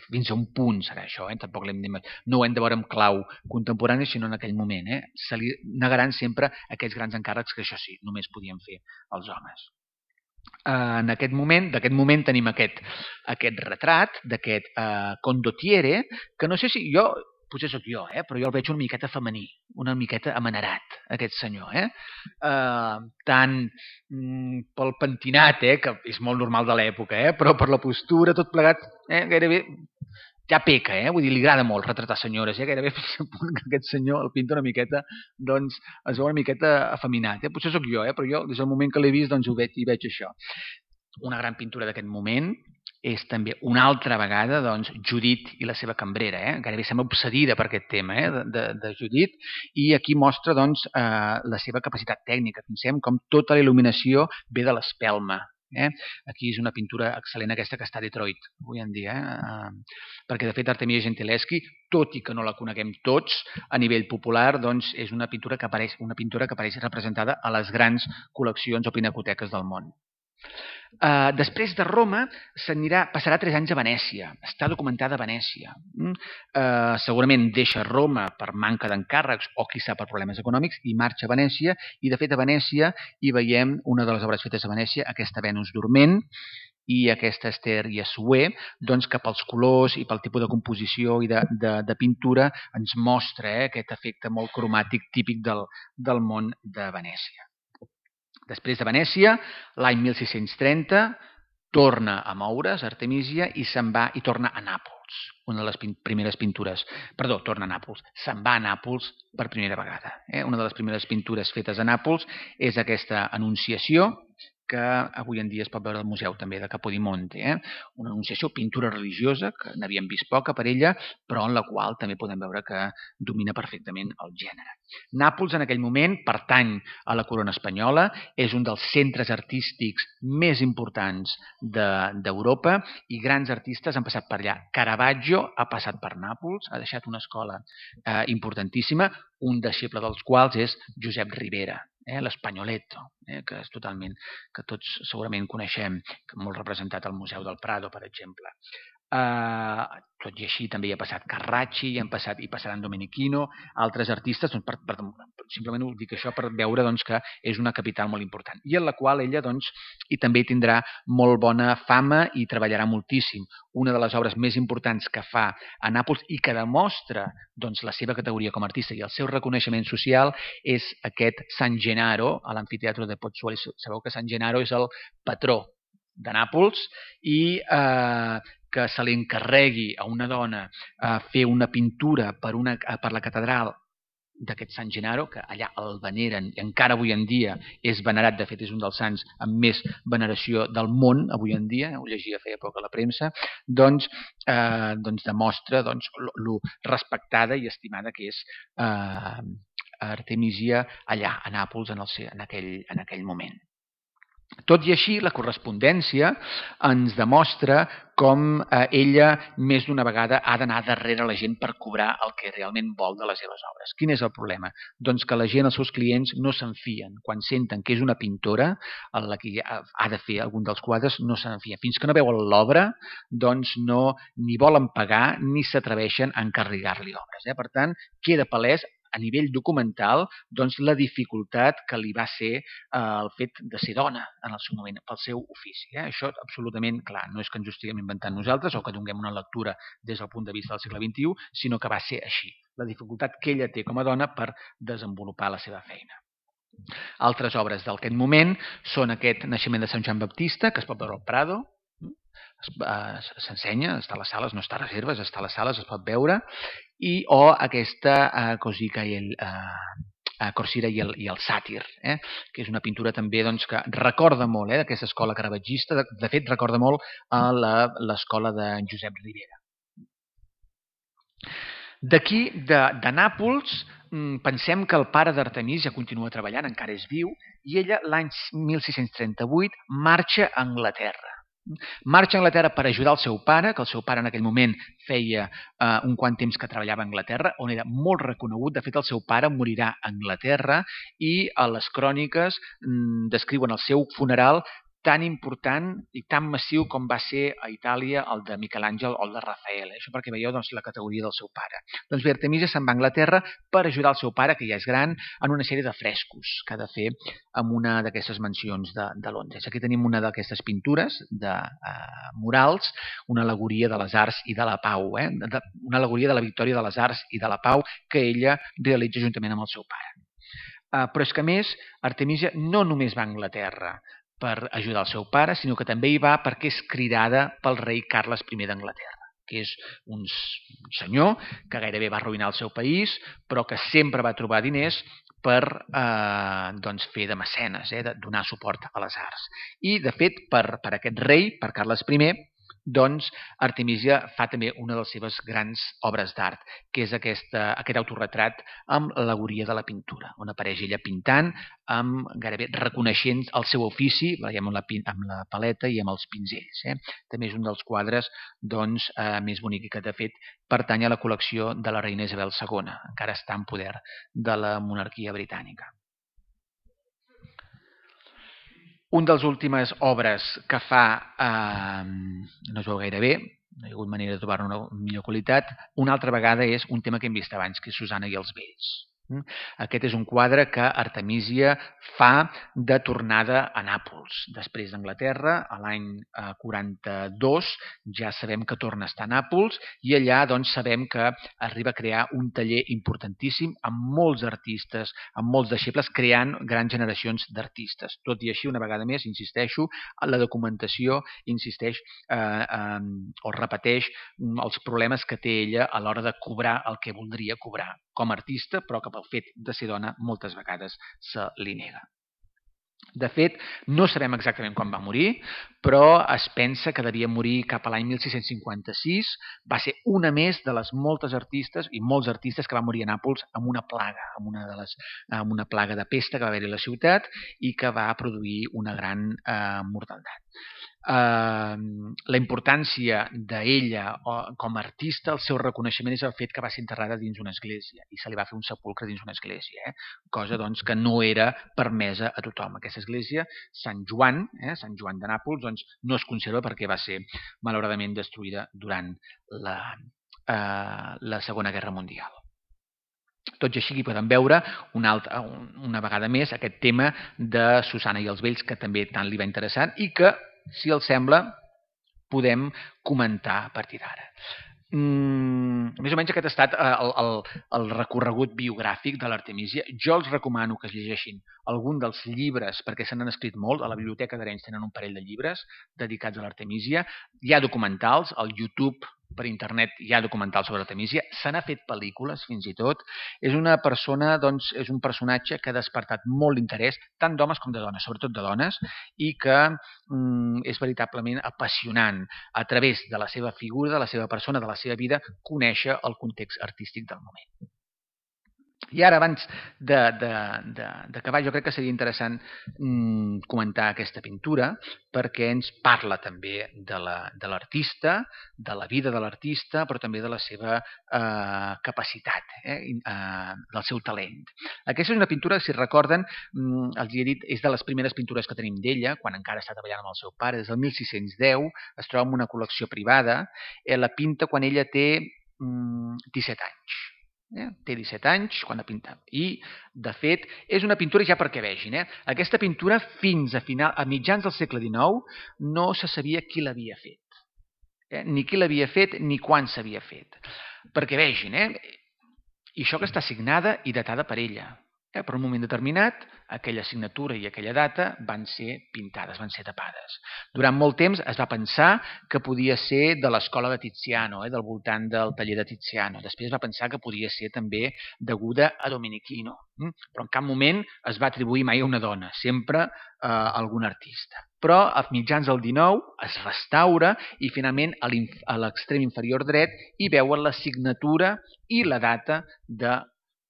fins a un punt serà això. Eh? Tampoc l'hem de... No ho hem de veure en clau contemporani, sinó en aquell moment. Eh? Se li negaran sempre aquests grans encàrrecs que això sí, només podien fer els homes. En aquest moment, d'aquest moment tenim aquest, aquest retrat d'aquest uh, condottiere, que no sé si jo... potser sóc jo, eh? però jo el veig una miqueta femení, una miqueta amanerat, aquest senyor. Eh? Uh, tant mm, pel pentinat, eh? que és molt normal de l'època, eh? però per la postura, tot plegat, eh? gairebé ja peca, eh? vull dir, li agrada molt retratar senyores, eh? gairebé fins al punt que aquest senyor el pinta una miqueta, doncs es veu una miqueta afeminat. Eh? Potser sóc jo, eh? però jo des del moment que l'he vist doncs ho veig, hi veig això. Una gran pintura d'aquest moment, és també una altra vegada doncs, Judit i la seva cambrera. Eh? Gairebé sembla obsedida per aquest tema eh? de, de, de Judit, i aquí mostra doncs, eh, la seva capacitat tècnica. Pensem com tota la il·luminació ve de l'espelma. Eh? Aquí és una pintura excel·lent aquesta que està a Detroit avui en dia, eh? perquè de fet Artemisia Gentileschi, tot i que no la coneguem tots a nivell popular, doncs és una pintura que apareix, una pintura que apareix representada a les grans col·leccions o pinacoteques del món. Uh, després de Roma s'anirà, passarà tres anys a Venècia, està documentada a Venècia. Mm? Uh, segurament deixa Roma per manca d'encàrrecs o quizà per problemes econòmics i marxa a Venècia, i de fet a Venècia hi veiem una de les obres fetes a Venècia, aquesta Venus dorment i aquesta Ester i Assuer, doncs que pels colors i pel tipus de composició i de, de, de pintura ens mostra eh, aquest efecte molt cromàtic típic del, del món de Venècia. Després de Venècia, l'any mil sis-cents trenta, torna a moure's Artemisia i se'n va i torna a Nàpols, una de les pin primeres pintures. Perdó, torna a Nàpols. Se'n va a Nàpols per primera vegada. Eh? Una de les primeres pintures fetes a Nàpols és aquesta Anunciació, que avui en dia es pot veure al museu també de Capodimonte. Eh? Una anunciació, pintura religiosa, que n'havíem vist poca per ella, però en la qual també podem veure que domina perfectament el gènere. Nàpols en aquell moment pertany a la corona espanyola, és un dels centres artístics més importants d'Europa de, i grans artistes han passat per allà. Caravaggio ha passat per Nàpols, ha deixat una escola eh, importantíssima, un deixeble dels quals és Josep Ribera, eh, l'Espanyoletto, eh, que és totalment, que tots segurament coneixem, que molt representat al Museu del Prado, per exemple. Uh, tot i així també hi ha passat Carracci, hi han passat, hi passaran Domenichino, altres artistes, doncs, per, per, simplement ho dic això per veure doncs, que és una capital molt important, i en la qual ella doncs, i també tindrà molt bona fama i treballarà moltíssim. Una de les obres més importants que fa a Nàpols i que demostra doncs, la seva categoria com a artista i el seu reconeixement social és aquest San Gennaro a l'amfiteatre de Pozzuoli. Sabeu que San Gennaro és el patró de Nàpols i eh, que se li encarregui a una dona eh, fer una pintura per, una, per la catedral d'aquest Sant Gennaro, que allà el veneren i encara avui en dia és venerat, de fet és un dels sants amb més veneració del món avui en dia, ho llegia feia poc a la premsa, doncs, eh, doncs demostra doncs, lo respectada i estimada que és eh, Artemisia allà a Nàpols en, el, en, aquell, en aquell moment. Tot i així, la correspondència ens demostra com eh, ella més d'una vegada ha d'anar darrere la gent per cobrar el que realment vol de les seves obres. Quin és el problema? Doncs que la gent, els seus clients, no se'n fien. Quan senten que és una pintora, en la que ha de fer algun dels quadres, no se'n fien. Fins que no veuen l'obra, doncs no ni volen pagar ni s'atreveixen a encarregar-li obres. Eh? Per tant, queda palès a nivell documental, doncs, la dificultat que li va ser eh, el fet de ser dona en el seu moment, pel seu ofici. Eh? Això absolutament clar, no és que ens ho estiguem inventant nosaltres o que donem una lectura des del punt de vista del segle vint-i-u, sinó que va ser així. La dificultat que ella té com a dona per desenvolupar la seva feina. Altres obres d'aquest moment són aquest Naixement de Sant Joan Baptista, que es pot veure al Prado, s'ensenya, està a les sales, no està a reserves, està a les sales, es pot veure, i o aquesta uh, Cosica i el... Uh, Corsira i el, i el Sàtir, eh? que és una pintura també doncs, que recorda molt eh, d'aquesta escola caravatgista, de, de fet recorda molt a l'escola de Josep Ribera. D'aquí, de, de Nàpols, pensem que el pare d'Artemisia continua treballant, encara és viu, i ella l'any mil sis-cents trenta-vuit marxa a Anglaterra. Marxa a Anglaterra per ajudar el seu pare, que el seu pare en aquell moment feia eh, un quant temps que treballava a Anglaterra, on era molt reconegut. De fet, el seu pare morirà a Anglaterra i a les cròniques mm, descriuen el seu funeral tan important i tan massiu com va ser a Itàlia el de Miquel Àngel o el de Rafael. Això perquè veieu doncs, la categoria del seu pare. Doncs bé, Artemisia se'n va a Anglaterra per ajudar el seu pare, que ja és gran, en una sèrie de frescos que ha de fer en una d'aquestes mansions de, de Londres. Aquí tenim una d'aquestes pintures de uh, murals, una al·legoria de les arts i de la pau, eh? de, una al·legoria de la victòria de les arts i de la pau que ella realitza juntament amb el seu pare. Uh, però és que a més, Artemisia no només va a Anglaterra per ajudar el seu pare, sinó que també hi va perquè és cridada pel rei Carles I d'Anglaterra, que és un senyor que gairebé va arruïnar el seu país, però que sempre va trobar diners per eh, doncs fer de mecenes, eh, de donar suport a les arts. I, de fet, per, per aquest rei, per Carles I, doncs Artemisia fa també una de les seves grans obres d'art, que és aquesta, aquest autorretrat amb l'al·legoria de la pintura, on apareix ella pintant, amb gairebé reconeixent el seu ofici, veiem amb la, amb la paleta i amb els pinzells. Eh? També és un dels quadres doncs, eh, més bonic que, de fet, pertany a la col·lecció de la reina Isabel segona, encara està en poder de la monarquia britànica. Un dels últimes obres que fa, eh, no es veu gaire bé, no hi ha hagut manera de trobar una millor qualitat, una altra vegada és un tema que hem vist abans, que és Susana i els vells. Aquest és un quadre que Artemisia fa de tornada a Nàpols. Després d'Anglaterra, a l'any quaranta-dos, ja sabem que torna a estar a Nàpols i allà doncs, sabem que arriba a crear un taller importantíssim amb molts artistes, amb molts deixebles, creant grans generacions d'artistes. Tot i així, una vegada més, insisteixo, la documentació insisteix eh, eh, o repeteix els problemes que té ella a l'hora de cobrar el que voldria cobrar com a artista, però que pel fet de ser dona moltes vegades se li nega. De fet, no sabem exactament quan va morir, però es pensa que devia morir cap a l'any mil sis-cents cinquanta-sis. Va ser una més de les moltes artistes i molts artistes que van morir a Nàpols amb una plaga, amb una, de les, amb una plaga de pesta que va haver-hi a la ciutat i que va produir una gran eh, mortaldat. Uh, la importància d'ella com a artista, el seu reconeixement és el fet que va ser enterrada dins una església i se li va fer un sepulcre dins una església, eh? Cosa doncs, que no era permesa a tothom. Aquesta església, Sant Joan, eh? Sant Joan de Nàpols, doncs, no es conserva perquè va ser malauradament destruïda durant la, uh, la Segona Guerra Mundial. Tot i així aquí podem veure una, altra, una vegada més aquest tema de Susana i els vells que també tant li va interessant i que, si els sembla, podem comentar a partir d'ara. Mm, més o menys aquest ha estat el, el, el recorregut biogràfic de l'Artemisia. Jo els recomano que es llegeixin algun dels llibres, perquè se n'han escrit molt. A la Biblioteca d'Arenys tenen un parell de llibres dedicats a l'Artemisia. Hi ha documentals, al YouTube, per internet, hi ha documentals sobre l'Artemisia. Se n'ha fet pel·lícules, fins i tot. És una persona, doncs, és un personatge que ha despertat molt l'interès, tant d'homes com de dones, sobretot de dones, i que mm, és veritablement apassionant a través de la seva figura, de la seva persona, de la seva vida, conèixer el context artístic del moment. I ara, abans d'acabar, jo crec que seria interessant mm, comentar aquesta pintura perquè ens parla també de l'artista, la, de la vida de l'artista, però també de la seva eh, capacitat, eh, eh, del seu talent. Aquesta és una pintura, si recorden, mm, els he dit, és de les primeres pintures que tenim d'ella, quan encara està treballant amb el seu pare, des del mil sis-cents deu, es troba en una col·lecció privada, eh, la pinta quan ella té mm, disset anys. Eh? Té disset anys quan la pinta. I, de fet, és una pintura, ja perquè vegin, eh? Aquesta pintura fins a, final, a mitjans del segle dinou no se sabia qui l'havia fet. Eh? Ni qui l'havia fet ni quan s'havia fet. Perquè vegin, eh? I això que està signada i datada per ella. Eh? Per un moment determinat, aquella signatura i aquella data van ser pintades, van ser tapades. Durant molt temps es va pensar que podia ser de l'escola de Tiziano, eh? Del voltant del taller de Tiziano. Després es va pensar que podia ser també deguda a Domenichino. Mm? Però en cap moment es va atribuir mai a una dona, sempre eh, a algun artista. Però a mitjans del dinou es restaura i finalment a l'extrem inferior dret hi veuen la signatura i la data de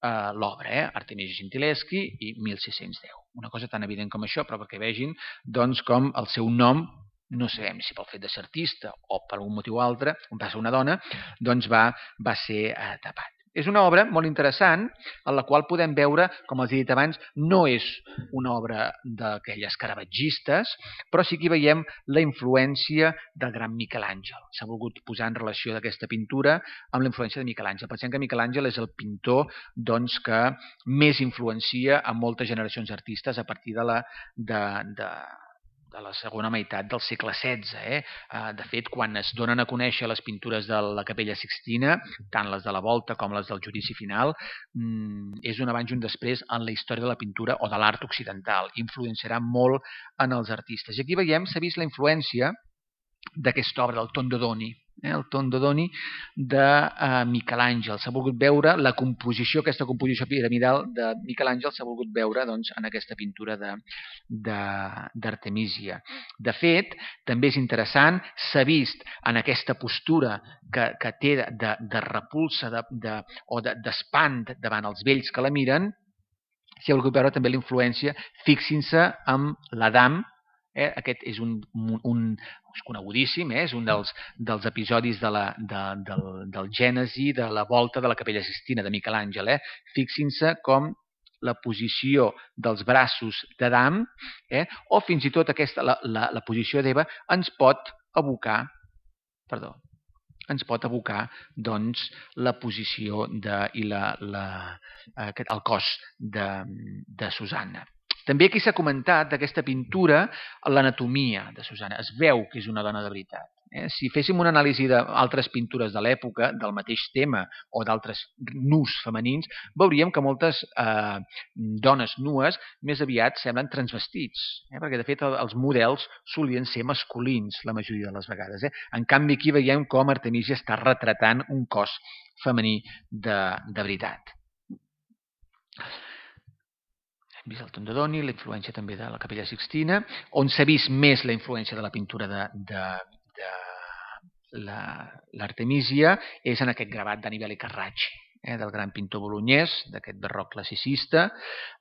Uh, l'obra, eh? Artemisia Gentileschi i mil sis-cents deu. Una cosa tan evident com això, però perquè vegin doncs, com el seu nom, no sabem si pel fet de ser artista o per algun motiu altre, on va ser una dona, doncs va, va ser uh, tapat. És una obra molt interessant, en la qual podem veure, com els he dit abans, no és una obra d'aquelles caravatgistes, però sí que hi veiem la influència del gran Miquel Àngel. S'ha volgut posar en relació d'aquesta pintura amb la influència de Miquel Àngel. Pensem que Miquel Àngel és el pintor doncs, que més influencia a moltes generacions d'artistes a partir de la... De, de, de la segona meitat del segle setze. Eh? De fet, quan es donen a conèixer les pintures de la Capella Sixtina, tant les de la Volta com les del Judici Final, és un abans i un després en la història de la pintura o de l'art occidental. Influenciarà molt en els artistes. I aquí veiem, s'ha vist la influència d'aquesta obra del Tondodoni. eh, el Tondo Doni de uh, Miquel Àngel. S'ha volgut veure la composició, aquesta composició piramidal de Miquel Àngel s'ha volgut veure doncs, en aquesta pintura d'Artemísia. De, de, de fet, també és interessant, s'ha vist en aquesta postura que, que té de, de repulsa de, de, o d'espant de, davant els vells que la miren, s'ha volgut veure també la influència, fixin-se amb l'Adam. Eh, aquest és un, un és conegudíssim, eh? És un dels, dels episodis de la, de, del, del Gènesi, de la volta de la Capella Sixtina de Miquel Àngel. Eh? Fixin-se com la posició dels braços d'Adam, eh? o fins i tot aquesta, la, la, la posició d'Eva, ens pot abocar, perdó, ens pot abocar doncs, la posició de, i la, la, aquest, el cos de, de Susanna. També aquí s'ha comentat d'aquesta pintura l'anatomia de Susanna. Es veu que és una dona de veritat. Eh? Si féssim una anàlisi d'altres pintures de l'època, del mateix tema o d'altres nus femenins, veuríem que moltes eh, dones nues més aviat semblen transvestits, eh? perquè de fet els models solien ser masculins la majoria de les vegades. Eh? En canvi aquí veiem com Artemísia està retratant un cos femení de, de veritat. Hem vist el Tondo Doni, la influència també de la Capella Sixtina, on s'ha vist més la influència de la pintura de, de, de l'Artemísia és en aquest gravat d'Annibale Carracci, eh, del gran pintor bolognès, d'aquest barroc classicista,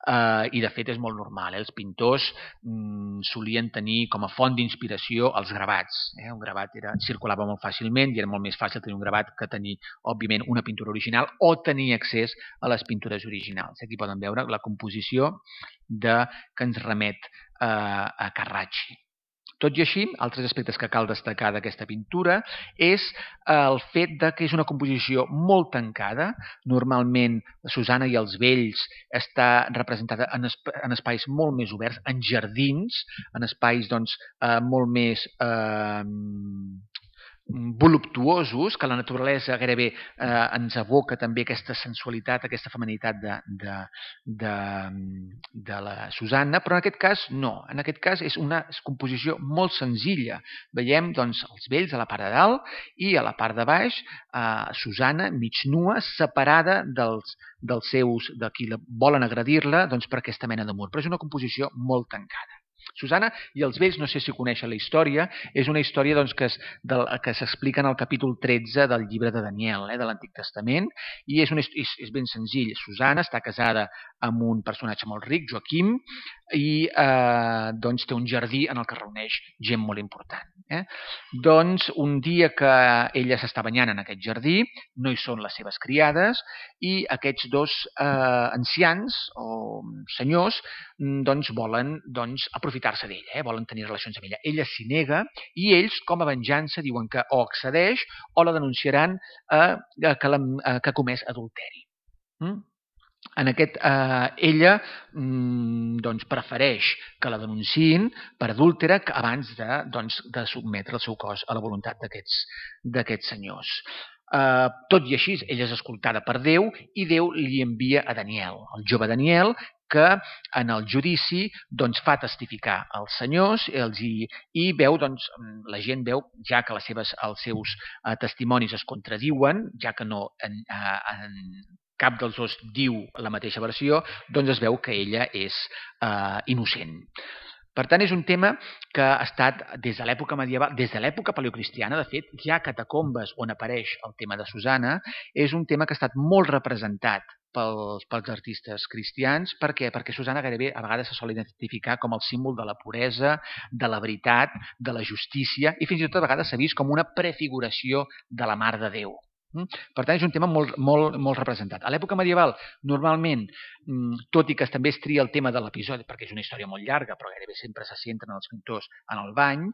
eh, i de fet és molt normal. Eh? Els pintors mm, solien tenir com a font d'inspiració els gravats. Eh? Un gravat era, circulava molt fàcilment i era molt més fàcil tenir un gravat que tenir, òbviament, una pintura original o tenir accés a les pintures originals. Aquí poden veure la composició de, que ens remet eh, a Carracci. Tot i així, altres aspectes que cal destacar d'aquesta pintura és el fet de que és una composició molt tancada. Normalment, Susanna i els vells està representada en, esp en espais molt més oberts, en jardins, en espais doncs, eh, molt més eh, voluptuosos, que la naturalesa gairebé eh, ens evoca també aquesta sensualitat, aquesta feminitat de, de, de, de la Susanna, però en aquest cas no. En aquest cas és una composició molt senzilla. Veiem doncs, els vells a la part de dalt i a la part de baix eh, Susanna mig nua, separada dels, dels seus, de qui volen agredir-la doncs, per aquesta mena de mur. Però és una composició molt tancada. Susanna i els vells, no sé si coneixen la història, és una història doncs, que, que s'explica en el capítol tretze del llibre de Daniel, eh, de l'Antic Testament, i és, un, és, és ben senzill. Susanna està casada amb un personatge molt ric, Joaquim, i eh, doncs, té un jardí en el que reuneix gent molt important. Eh? Doncs un dia que ella s'està banyant en aquest jardí, no hi són les seves criades, i aquests dos eh, ancians o senyors doncs, volen doncs, aprofitar-se d'ella, eh? volen tenir relacions amb ella. Ella s'hi nega i ells, com a venjança, diuen que o accedeix o la denunciaran eh, que, la, eh, que ha comès adulteri. Mm? En aquest, eh, ella mm, doncs, prefereix que la denunciïn per adúltera abans de, doncs, de sotmetre el seu cos a la voluntat d'aquests senyors. Eh, tot i així, ella és escoltada per Déu i Déu li envia a Daniel, el jove Daniel, que en el judici doncs, fa testificar als senyors els hi, i veu, doncs, la gent veu, ja que les seves, els seus eh, testimonis es contradiuen, ja que no en, en, cap dels dos diu la mateixa versió, doncs es veu que ella és eh, innocent. Per tant, és un tema que ha estat des de l'època medieval, des de l'època paleocristiana, de fet, hi ha catacombes on apareix el tema de Susanna, és un tema que ha estat molt representat pels, pels artistes cristians. Per què? Perquè Susanna gairebé a vegades se sol identificar com el símbol de la puresa, de la veritat, de la justícia, i fins i tot a vegades s'ha vist com una prefiguració de la Mare de Déu. Per tant, és un tema molt, molt, molt representat. A l'època medieval, normalment, tot i que també es tria el tema de l'episodi, perquè és una història molt llarga, però gairebé sempre se centren els pintors en el bany,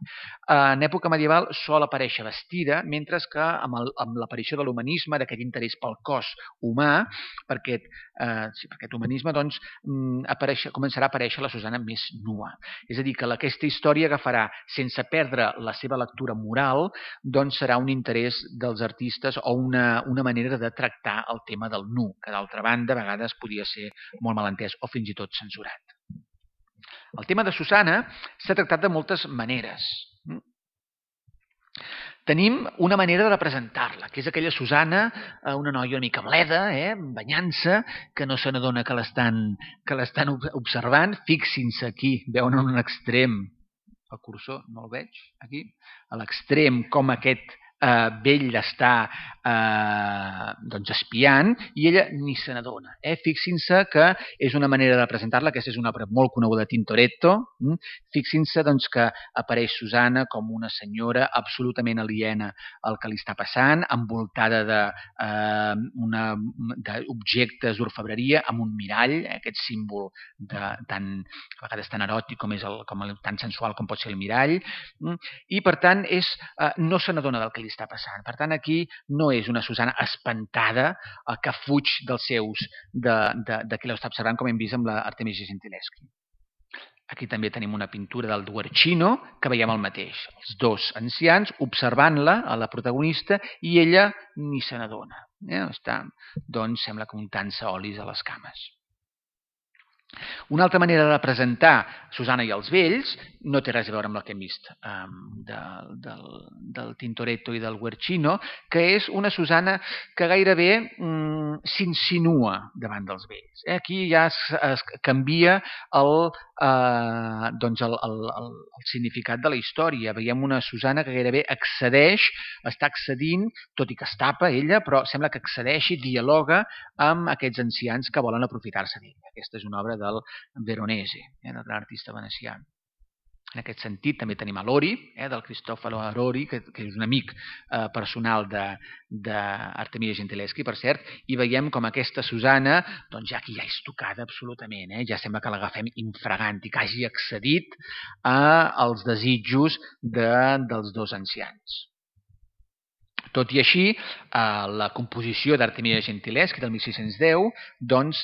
en època medieval sol aparèixer vestida, mentre que amb, el, amb l'aparició de l'humanisme, d'aquest interès pel cos humà, per aquest, eh, sí, per aquest humanisme, doncs, apareix, començarà a aparèixer la Susanna més nua. És a dir, que aquesta història agafarà, sense perdre la seva lectura moral, doncs serà un interès dels artistes o un Una, una manera de tractar el tema del nu, que d'altra banda a vegades podia ser molt malentès o fins i tot censurat. El tema de Susanna s'ha tractat de moltes maneres. tenim una manera de representar-la, que és aquella Susana, una noia una mica bleda, eh, banyant-se, que no se n'adona que l'estan que l'estan observant. Fixin-se aquí, veuen en un extrem, el cursor no el veig, aquí, a l'extrem com aquest eh, vell està eh, doncs espiant i ella ni se n'adona. Eh? Fixin-se que és una manera de representar-la, aquesta és una obra molt coneguda de Tintoretto. Mm? Fixin-se doncs, que apareix Susana com una senyora absolutament aliena al que li està passant, envoltada d'objectes eh, d'orfebreria, amb un mirall, eh, aquest símbol de, tan, a vegades tan eròtic com és el, com el, tan sensual com pot ser el mirall, mm? I per tant és, eh, no se n'adona del que li està passant. Per tant, aquí no és una Susana espantada eh, que fuig dels seus, de, de, de qui l'està observant, com hem vist amb l'Artemisia Gentileschi. Aquí també tenim una pintura del Guercino, que veiem el mateix. Els dos ancians observant-la, a la protagonista, i ella ni se n'adona. Eh? Està, doncs, sembla que untant-se olis a les cames. Una altra manera de representar Susana i els vells no té res a veure amb el que hem vist um, de, del, del Tintoretto i del Guercino, que és una Susana que gairebé um, s'insinua davant dels vells. Eh? Aquí ja es, es canvia el, uh, doncs el, el, el, el significat de la història. Veiem una Susana que gairebé accedeix, està accedint, tot i que es tapa ella, però sembla que accedeix i dialoga amb aquests ancians que volen aprofitar-se d'ella. Aquesta és una obra del Veronese, eh, del gran artista venecià. En aquest sentit també tenim a Lori, eh, del Cristoforo Lori, que, que és un amic eh, personal d'Artemisia Gentileschi, per cert, i veiem com aquesta Susana, doncs ja aquí ja és tocada absolutament, eh, ja sembla que l'agafem infragant i que hagi accedit a, als desitjos de, dels dos ancians. Tot i així, eh, la composició d'Artemisia Gentileschi del mil sis-cents deu doncs,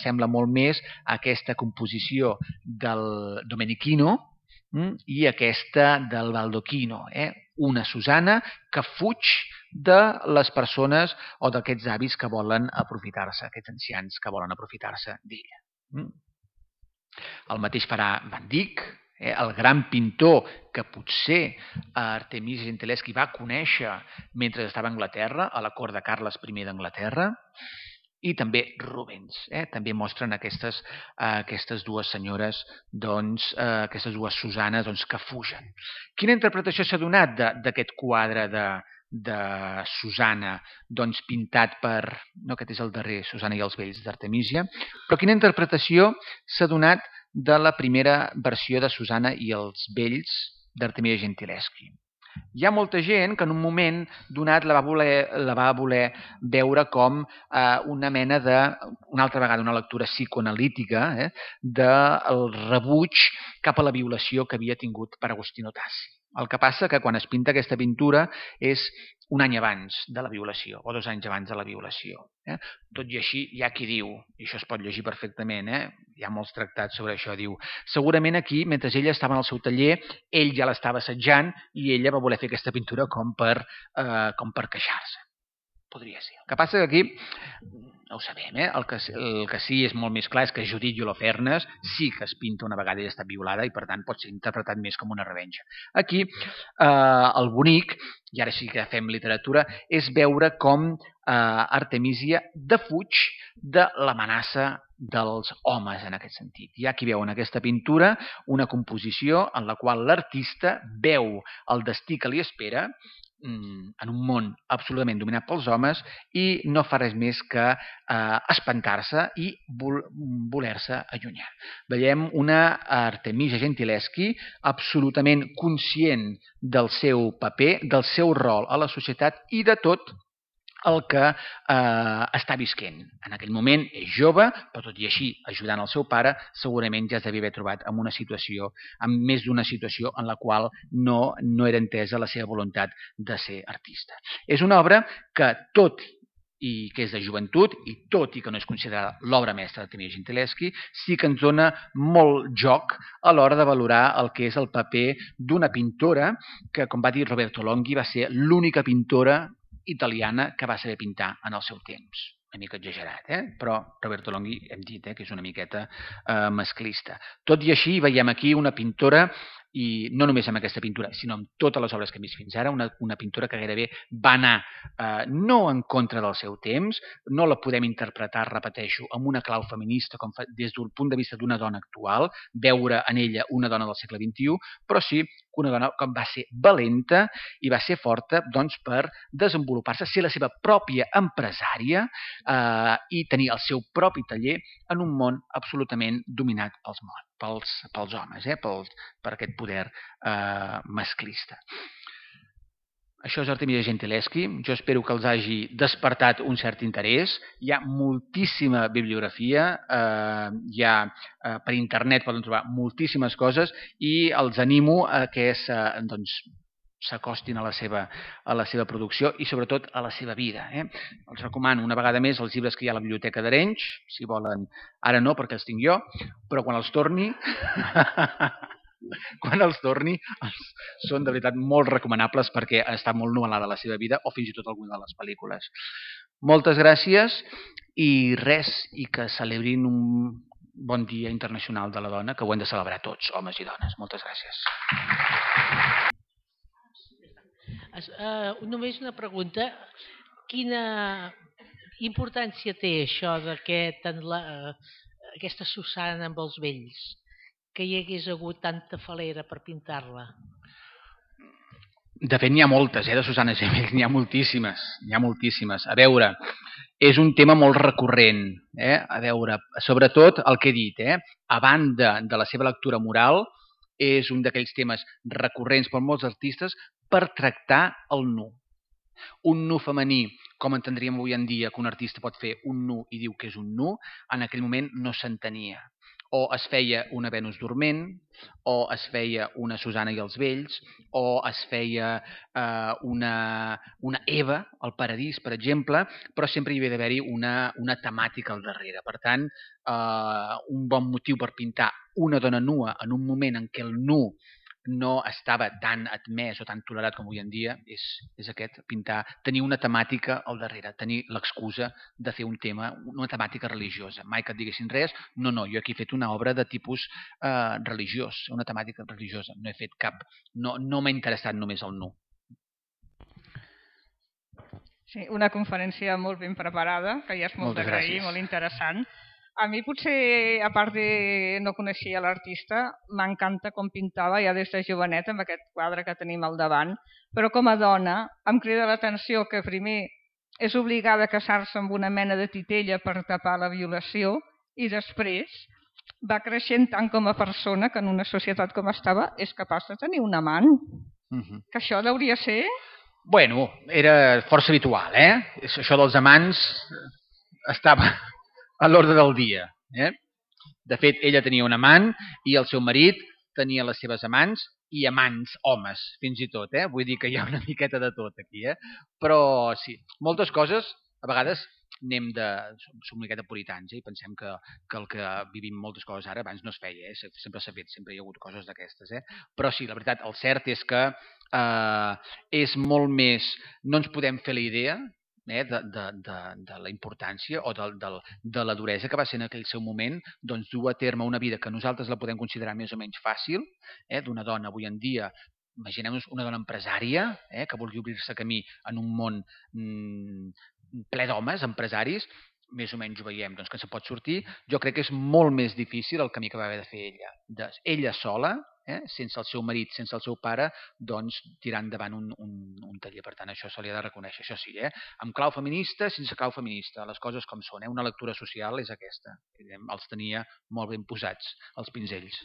sembla molt més aquesta composició del Domenichino mm, i aquesta del Baldacchino. Eh? Una Susana que fuig de les persones o d'aquests avis que volen aprofitar-se, aquests ancians que volen aprofitar-se d'ella. Mm? El mateix farà Van Dyck, Eh, el gran pintor que potser Artemisia Gentileschi va conèixer mentre estava a Anglaterra, a la cort de Carles I d'Anglaterra, i també Rubens. Eh? També mostren aquestes, eh, aquestes dues senyores, doncs, eh, aquestes dues Susanes doncs, que fugen. Quina interpretació s'ha donat d'aquest quadre de, de Susana, doncs pintat per, no aquest és el darrer, Susana i els vells d'Artemisia, però quina interpretació s'ha donat de la primera versió de Susana i els vells d'Artemisia Gentileschi? Hi ha molta gent que en un moment donat la va voler, la va voler veure com eh, una mena de, una altra vegada, una lectura psicoanalítica eh, del rebuig cap a la violació que havia tingut per Agostino Tassi. El que passa que quan es pinta aquesta pintura és un any abans de la violació, o dos anys abans de la violació. Eh? Tot i així, hi ha qui diu, i això es pot llegir perfectament, eh? Hi ha molts tractats sobre això, diu, segurament aquí, mentre ella estava en el seu taller, ell ja l'estava assetjant i ella va voler fer aquesta pintura com per, eh, com per queixar-se. Podria ser. El que passa que aquí, no ho sabem, eh? el, que, el que sí és molt més clar és que Judit i Holofernes sí que es pinta una vegada ella està violada i per tant pot ser interpretat més com una revenja. Aquí eh, el bonic, i ara sí que fem literatura, és veure com eh, Artemisia defuig de l'amenaça dels homes en aquest sentit. Hi ha qui veu en aquesta pintura una composició en la qual l'artista veu el destí que li espera en un món absolutament dominat pels homes i no fa res més que eh, espantar-se i vol, voler-se allunyar. Veiem una Artemisia Gentileschi absolutament conscient del seu paper, del seu rol a la societat i de tot el que eh, està visquent. En aquell moment és jove, però tot i així, ajudant el seu pare, segurament ja es devia haver trobat en una situació, en més d'una situació en la qual no, no era entesa la seva voluntat de ser artista. És una obra que tot i que és de joventut, i tot i que no és considerada l'obra mestra d'Artemisia Gentileschi, sí que ens dona molt joc a l'hora de valorar el que és el paper d'una pintora que, com va dir Roberto Longhi, va ser l'única pintora italiana que va saber pintar en el seu temps. Una mica exagerat, eh? Però Roberto Longhi hem dit eh, que és una miqueta eh, masclista. Tot i així veiem aquí una pintora i no només amb aquesta pintura, sinó amb totes les obres que hem vist fins ara, una, una pintura que gairebé va anar eh, no en contra del seu temps, no la podem interpretar, repeteixo, amb una clau feminista com fa, des del punt de vista d'una dona actual, veure en ella una dona del segle vint-i-u, però sí una dona que va ser valenta i va ser forta doncs, per desenvolupar-se, ser la seva pròpia empresària eh, i tenir el seu propi taller en un món absolutament dominat pels, pels, pels homes, eh, pels, per aquest poder eh, masclista. Això és Artemisia Gentileschi. Jo espero que els hagi despertat un cert interès. Hi ha moltíssima bibliografia, eh, hi ha, eh, per internet poden trobar moltíssimes coses i els animo a que doncs, s'acostin a la seva, a la seva producció i sobretot a la seva vida. Eh? Els recomano una vegada més els llibres que hi ha a la Biblioteca d'Arenys, si volen, ara no perquè els tinc jo, però quan els torni... quan els torni els són de veritat molt recomanables perquè està molt novel·lada la seva vida o fins i tot alguna de les pel·lícules. Moltes gràcies i res, i que celebrin un bon dia internacional de la dona, que ho hem de celebrar tots, homes i dones. Moltes gràcies. Uh, només una pregunta. Quina importància té això d'aquest, uh, aquesta Susana amb els vells? Que hi hagués hagut tanta falera per pintar-la? De fet, n'hi ha moltes, eh, de Susana Gemell, n'hi ha moltíssimes, n'hi ha moltíssimes. A veure, és un tema molt recurrent, eh? A veure, sobretot el que he dit, eh? A banda de la seva lectura moral, és un d'aquells temes recurrents per molts artistes per tractar el nu. Un nu femení, com entendríem avui en dia que un artista pot fer un nu i diu que és un nu, en aquell moment no s'entenia. O es feia una Venus dorment, o es feia una Susana i els vells, o es feia eh, una, una Eva, al Paradís, per exemple, però sempre hi havia d'haver-hi una, una temàtica al darrere. Per tant, eh, un bon motiu per pintar una dona nua en un moment en què el nu no estava tan admès o tan tolerat com avui en dia, és, és aquest, pintar, tenir una temàtica al darrere, tenir l'excusa de fer un tema, una temàtica religiosa. Mai que et diguessin res, no, no, jo aquí he fet una obra de tipus eh, religiós, una temàtica religiosa, no he fet cap, no, no m'ha interessat només el nu. Sí, una conferència molt ben preparada, que ja és molt d'agrair, molt interessant. A mi potser, a part de no coneixia l'artista, m'encanta com pintava ja des de jovenet amb aquest quadre que tenim al davant, però com a dona em crida l'atenció que primer és obligada a casar-se amb una mena de titella per tapar la violació i després va creixent tant com a persona que en una societat com estava és capaç de tenir un amant. Uh-huh. Que això hauria ser... Bueno, era força habitual, eh? Això dels amants estava... a l'ordre del dia. Eh? De fet, ella tenia un amant i el seu marit tenia les seves amants i amants homes, fins i tot. Eh? Vull dir que hi ha una miqueta de tot aquí. Eh? Però sí, moltes coses, a vegades anem de... som una miqueta puritans eh? I pensem que, que el que vivim moltes coses ara abans no es feia. Eh? Sempre s'ha fet, sempre hi ha hagut coses d'aquestes. Eh? Però sí, la veritat, el cert és que eh, és molt més... No ens podem fer la idea Eh, de, de, de, de la importància o de, de, de la duresa que va ser en aquell seu moment doncs, dur a terme una vida que nosaltres la podem considerar més o menys fàcil, eh, d'una dona avui en dia, imaginem-nos una dona empresària eh, que vulgui obrir-se camí en un món mm, ple d'homes, empresaris, més o menys ho veiem, doncs, que se pot sortir. Jo crec que és molt més difícil el camí que va haver de fer ella. De, ella sola, eh, sense el seu marit, sense el seu pare, doncs tirar endavant un, un, un taller. Per tant, això se li ha de reconèixer, això sí, eh? Amb clau feminista, sense clau feminista, les coses com són. Eh? Una lectura social és aquesta. Els tenia molt ben posats, els pinzells.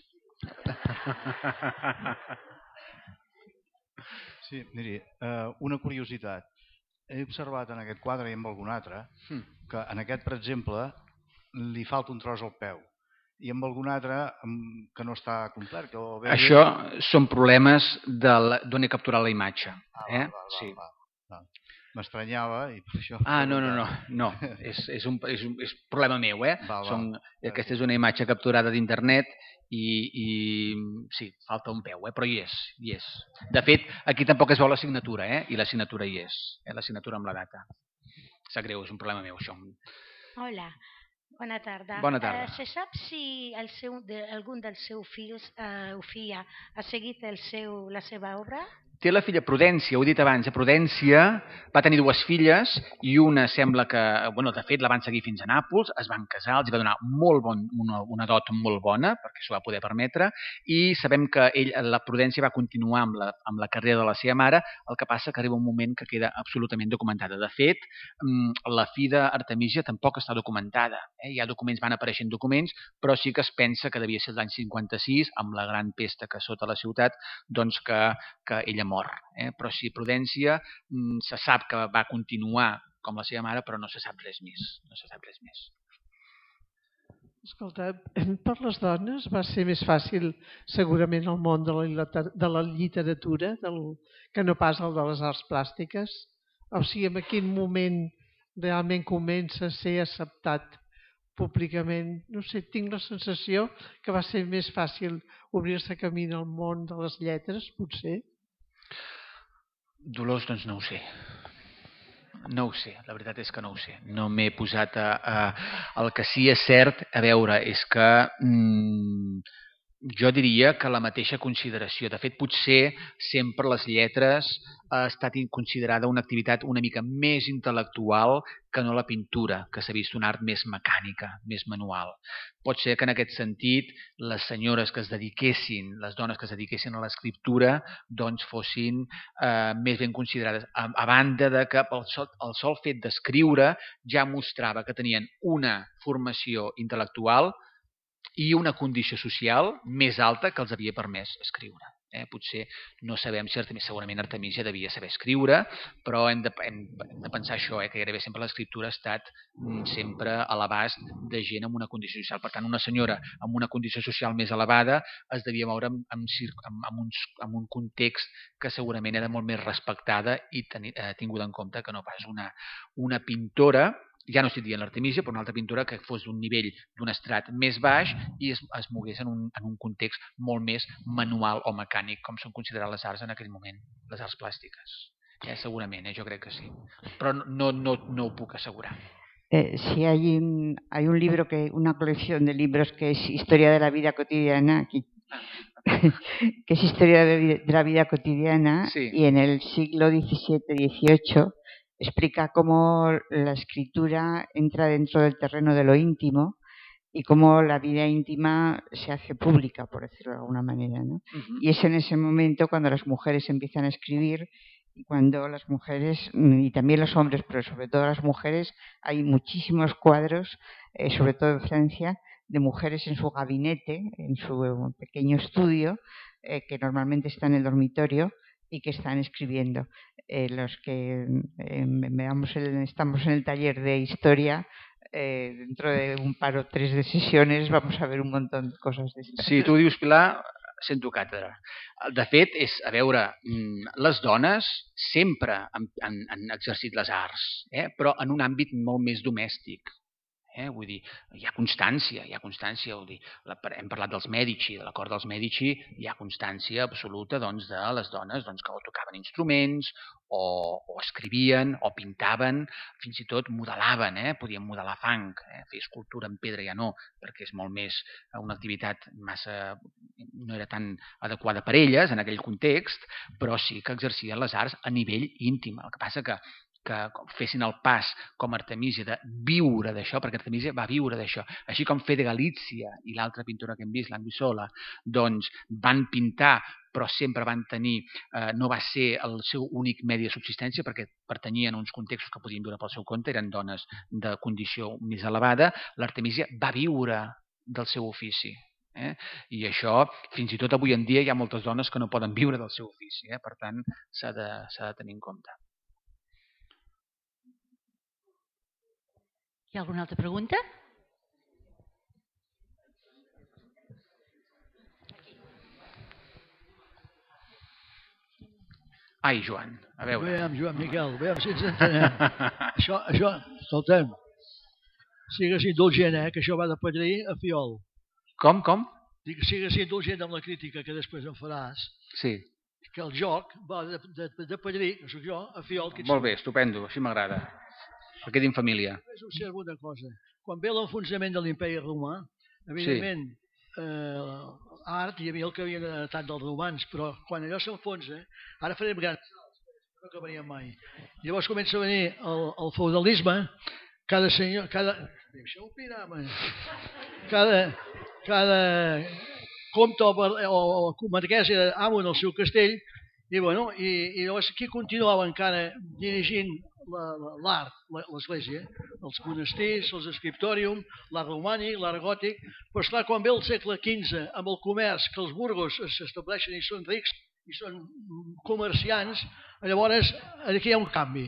Sí, miri, eh, una curiositat. He observat en aquest quadre i en algun altre que en aquest, per exemple, li falta un tros al peu i en algun altre que no està complet. Que veure... Això són problemes d'on he capturat la imatge. Ah, eh? va, va, sí. va, va. M'estranyava i per això... Ah, no, no, no, no. és, és, un, és, un, és problema meu, eh? Va, va. Són, aquesta és una imatge capturada d'internet i, i sí, falta un peu, eh? Però hi és, hi és. De fet, aquí tampoc es veu la signatura, eh? I la signatura hi és, eh? La signatura amb la data. Sap greu, és un problema meu, això. Hola. Bona tarda. Bona tarda. Eh, se sap si el seu, de, algun dels seus fills eh, o filla ha seguit el seu, la seva obra? Té la filla Prudència, ho he dit abans, Prudència va tenir dues filles i una sembla que, bueno, de fet la van seguir fins a Nàpols, es van casar, els va donar molt bon, una, una dot molt bona, perquè s'ho va poder permetre, i sabem que ell, la Prudència va continuar amb la, amb la carrera de la seva mare, el que passa que arriba un moment que queda absolutament documentada. De fet, la fi d'Artemisia tampoc està documentada. Eh? Hi ha documents, van apareixent documents, però sí que es pensa que devia ser l'any cinquanta-sis, amb la gran pesta que sota la ciutat, doncs que, que ella mor. Eh? Però sí, Prudència se sap que va continuar com la seva mare, però no se sap res més. No se sap res més. Escolta, per les dones va ser més fàcil segurament el món de la, de la literatura del, que no pas el de les arts plàstiques. O sigui, en quin moment realment comença a ser acceptat públicament. No sé, tinc la sensació que va ser més fàcil obrir-se camí al món de les lletres, potser. Dolors, doncs no ho sé. No ho sé, la veritat és que no ho sé. No m'he posat a, a... El que sí és cert, a veure, és que mmm, jo diria que la mateixa consideració. De fet, potser sempre les lletres ha estat considerada una activitat una mica més intel·lectual que no la pintura, que s'ha vist una art més mecànica, més manual. Pot ser que en aquest sentit les senyores que es dediquessin, les dones que es dediquessin a l'escriptura, doncs fossin eh, més ben considerades. A, a banda de que el sol, el sol fet d'escriure ja mostrava que tenien una formació intel·lectual i una condició social més alta que els havia permès escriure. Eh? Potser no sabem si Artemisia, segurament Artemisia devia saber escriure, però hem de, hem, hem de pensar això, eh? que gairebé sempre l'escriptura ha estat sempre a l'abast de gent amb una condició social. Per tant, una senyora amb una condició social més elevada es devia moure en, en, en, uns, en un context que segurament era molt més respectada i teni, eh, tinguda en compte que no pas una, una pintora, ja no estic dient l'Artemisia, però una altra pintura que fos d'un nivell, d'un estrat més baix i es, es mogués en un, en un context molt més manual o mecànic, com són considerades les arts en aquell moment, les arts plàstiques. Eh, segurament, eh, jo crec que sí. Però no, no, no ho puc assegurar. Eh, si hay un, hay un libro, que una colección de libros que es Historia de la vida cotidiana, aquí, que es Historia de la vida cotidiana, sí. Y en el siglo diecisiete dieciocho explica cómo la escritura entra dentro del terreno de lo íntimo y cómo la vida íntima se hace pública, por decirlo de alguna manera, ¿no? Uh-huh. Y es en ese momento cuando las mujeres empiezan a escribir y cuando las mujeres, y también los hombres, pero sobre todo las mujeres, hay muchísimos cuadros, eh, sobre todo en Francia, de mujeres en su gabinete, en su pequeño estudio, eh, que normalmente está en el dormitorio, y que están escribiendo. Eh, los que eh, veamos el, estamos en el taller de historia, eh, dentro de un par o tres de sesiones vamos a ver un montón de cosas de estas. Sí, tu dius, Pilar, sento càtedra. De fet, és, a veure, les dones sempre han, han, han exercit les arts, eh? però en un àmbit molt més domèstic. Eh? Vull dir, hi ha constància, hi ha constància, vull dir, la, hem parlat dels Mèdici, de la cort dels Mèdici, hi ha constància absoluta doncs, de les dones doncs, que o tocaven instruments, o, o escrivien, o pintaven, fins i tot modelaven, eh? podien modelar fang, eh? fer escultura en pedra ja no, perquè és molt més una activitat massa, no era tan adequada per elles en aquell context, però sí que exercien les arts a nivell íntim. El que passa que que fessin el pas com Artemisia de viure d'això, perquè Artemisia va viure d'això. Així com Fede Galizia i l'altra pintora que hem vist, l'Anguissola, doncs van pintar, però sempre van tenir, eh, no va ser el seu únic medi de subsistència, perquè pertanyien a uns contextos que podien viure pel seu compte, eren dones de condició més elevada. L'Artemisia va viure del seu ofici. Eh? I això, fins i tot avui en dia, hi ha moltes dones que no poden viure del seu ofici. Eh? Per tant, s'ha de, s'ha de tenir en compte. Hi ha alguna altra pregunta? Ai, Joan, a veure. Veiem, Joan Miquel, veiem si ens entenem. això, això, escolta'm, sigues indulgent, eh, que això va de padrí a fiol. Com, com? Dic, sigues indulgent amb la crítica que després em faràs. Sí. Que el joc va de, de, de padrí, que soc jo, a fiol. Que Molt bé, estupendo, així m'agrada. Que quedi en família. Només observo una cosa. quan ve l'enfonsament de l'imperi romà, evidentment, eh, art, hi havia el que havien heretat dels romans, però quan allò s'enfonsa, ara farem grans salts, no acabaríem mai. Llavors comença a venir el, el feudalisme, cada senyor, cada... Deixeu opinar, man. Cada, cada comte o, o, o marquès era amo en el seu castell, i, bueno, i, i llavors qui continuava encara dirigint l'art, l'església, els monestirs, els scriptorium, l'art romànic, l'art gòtic, però esclar, quan ve el segle quinze amb el comerç, que els burgos s'estableixen i són rics i són comerciants, llavors aquí hi ha un canvi.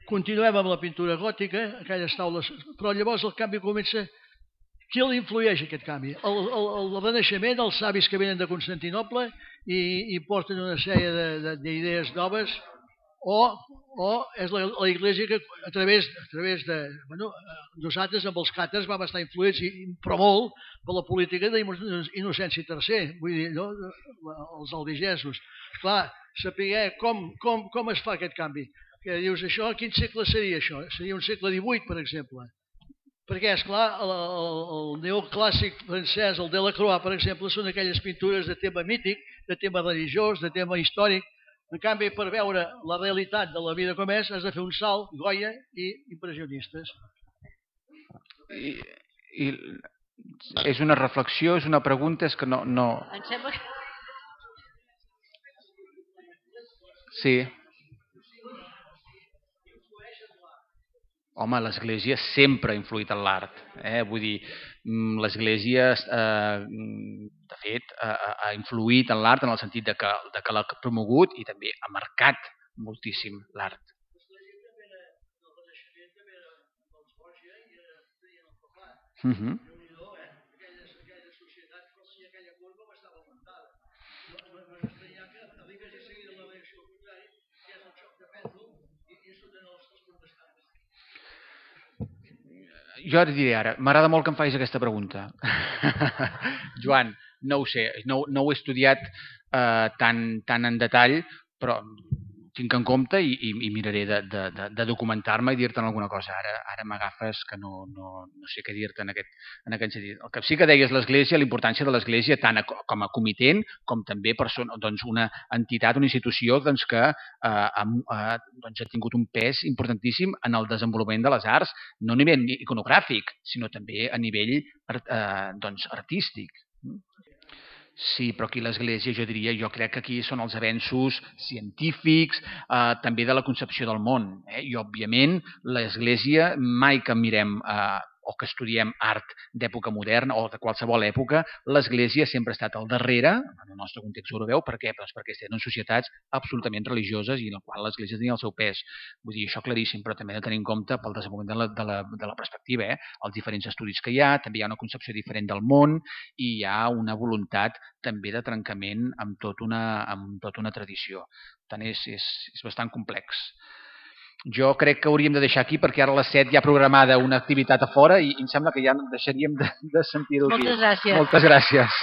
Continuem amb la pintura gòtica, aquelles taules, però llavors el canvi comença. Qui l'influeix aquest canvi? El, el, el Renaixement, els savis que venen de Constantinoble i, i porten una sèrie d'idees noves, o, o és la, la Iglésia que a través, a través de... Bueno, nosaltres amb els càtars vam estar influïts, i, però molt, per la política d'Innocenci tercer, vull dir, no? Els albigesos. Clar, saber com, com, com es fa aquest canvi. Que dius, això, quin segle seria això? Seria un segle divuit, per exemple. Perquè, esclar, el, el, el neoclàssic francès, el Delacroix, per exemple, són aquelles pintures de tema mític, de tema religiós, de tema històric. En canvi, per veure la realitat de la vida com és, has de fer un salt, Goya i impressionistes. I, i és una reflexió, és una pregunta, és que no... no... Em sembla que... Sí. Home, l'Església sempre ha influït en l'art. Eh? Vull dir, l'Església, eh, de fet, ha, ha influït en l'art en el sentit de que, de que l'ha promogut i també ha marcat moltíssim l'art. Uh-huh. Jo et diré ara, m'agrada molt que em facis aquesta pregunta. Joan, no ho sé, no, no ho he estudiat eh, tan, tan en detall, però tinc en compte i, i, i miraré de, de, de, de documentar-me i dir-te'n alguna cosa. Ara, ara m'agafes que no, no, no sé què dir-te en, aquest, en aquest sentit. El que sí que deies l'Església, la importància de l'Església tant a, com a comitent com també persona, doncs una entitat, una institució doncs, que eh, ha, doncs, ha tingut un pes importantíssim en el desenvolupament de les arts, no a nivell iconogràfic, sinó també a nivell eh, doncs, artístic. Sí, però aquí l'Església, jo diria, jo crec que aquí són els avenços científics, eh, també de la concepció del món. Eh? I, òbviament, l'Església, mai que mirem eh, o que estudiem art d'època moderna o de qualsevol època, l'Església sempre ha estat al darrere, en el nostre context europeu. Per què? Doncs perquè estem en societats absolutament religioses i en la qual l'Església tenia el seu pes. Vull dir, això claríssim, però també hem de tenir en compte pel desenvolupament de la, de la, de la perspectiva, eh? Els diferents estudis que hi ha, també hi ha una concepció diferent del món i hi ha una voluntat també de trencament amb, tot una, amb tota una tradició. Per tant, és, és, és bastant complex. Jo crec que hauríem de deixar aquí perquè ara a les set hi ha programada una activitat a fora i em sembla que ja deixaríem de, de sentir-ho aquí. Moltes gràcies. Moltes gràcies.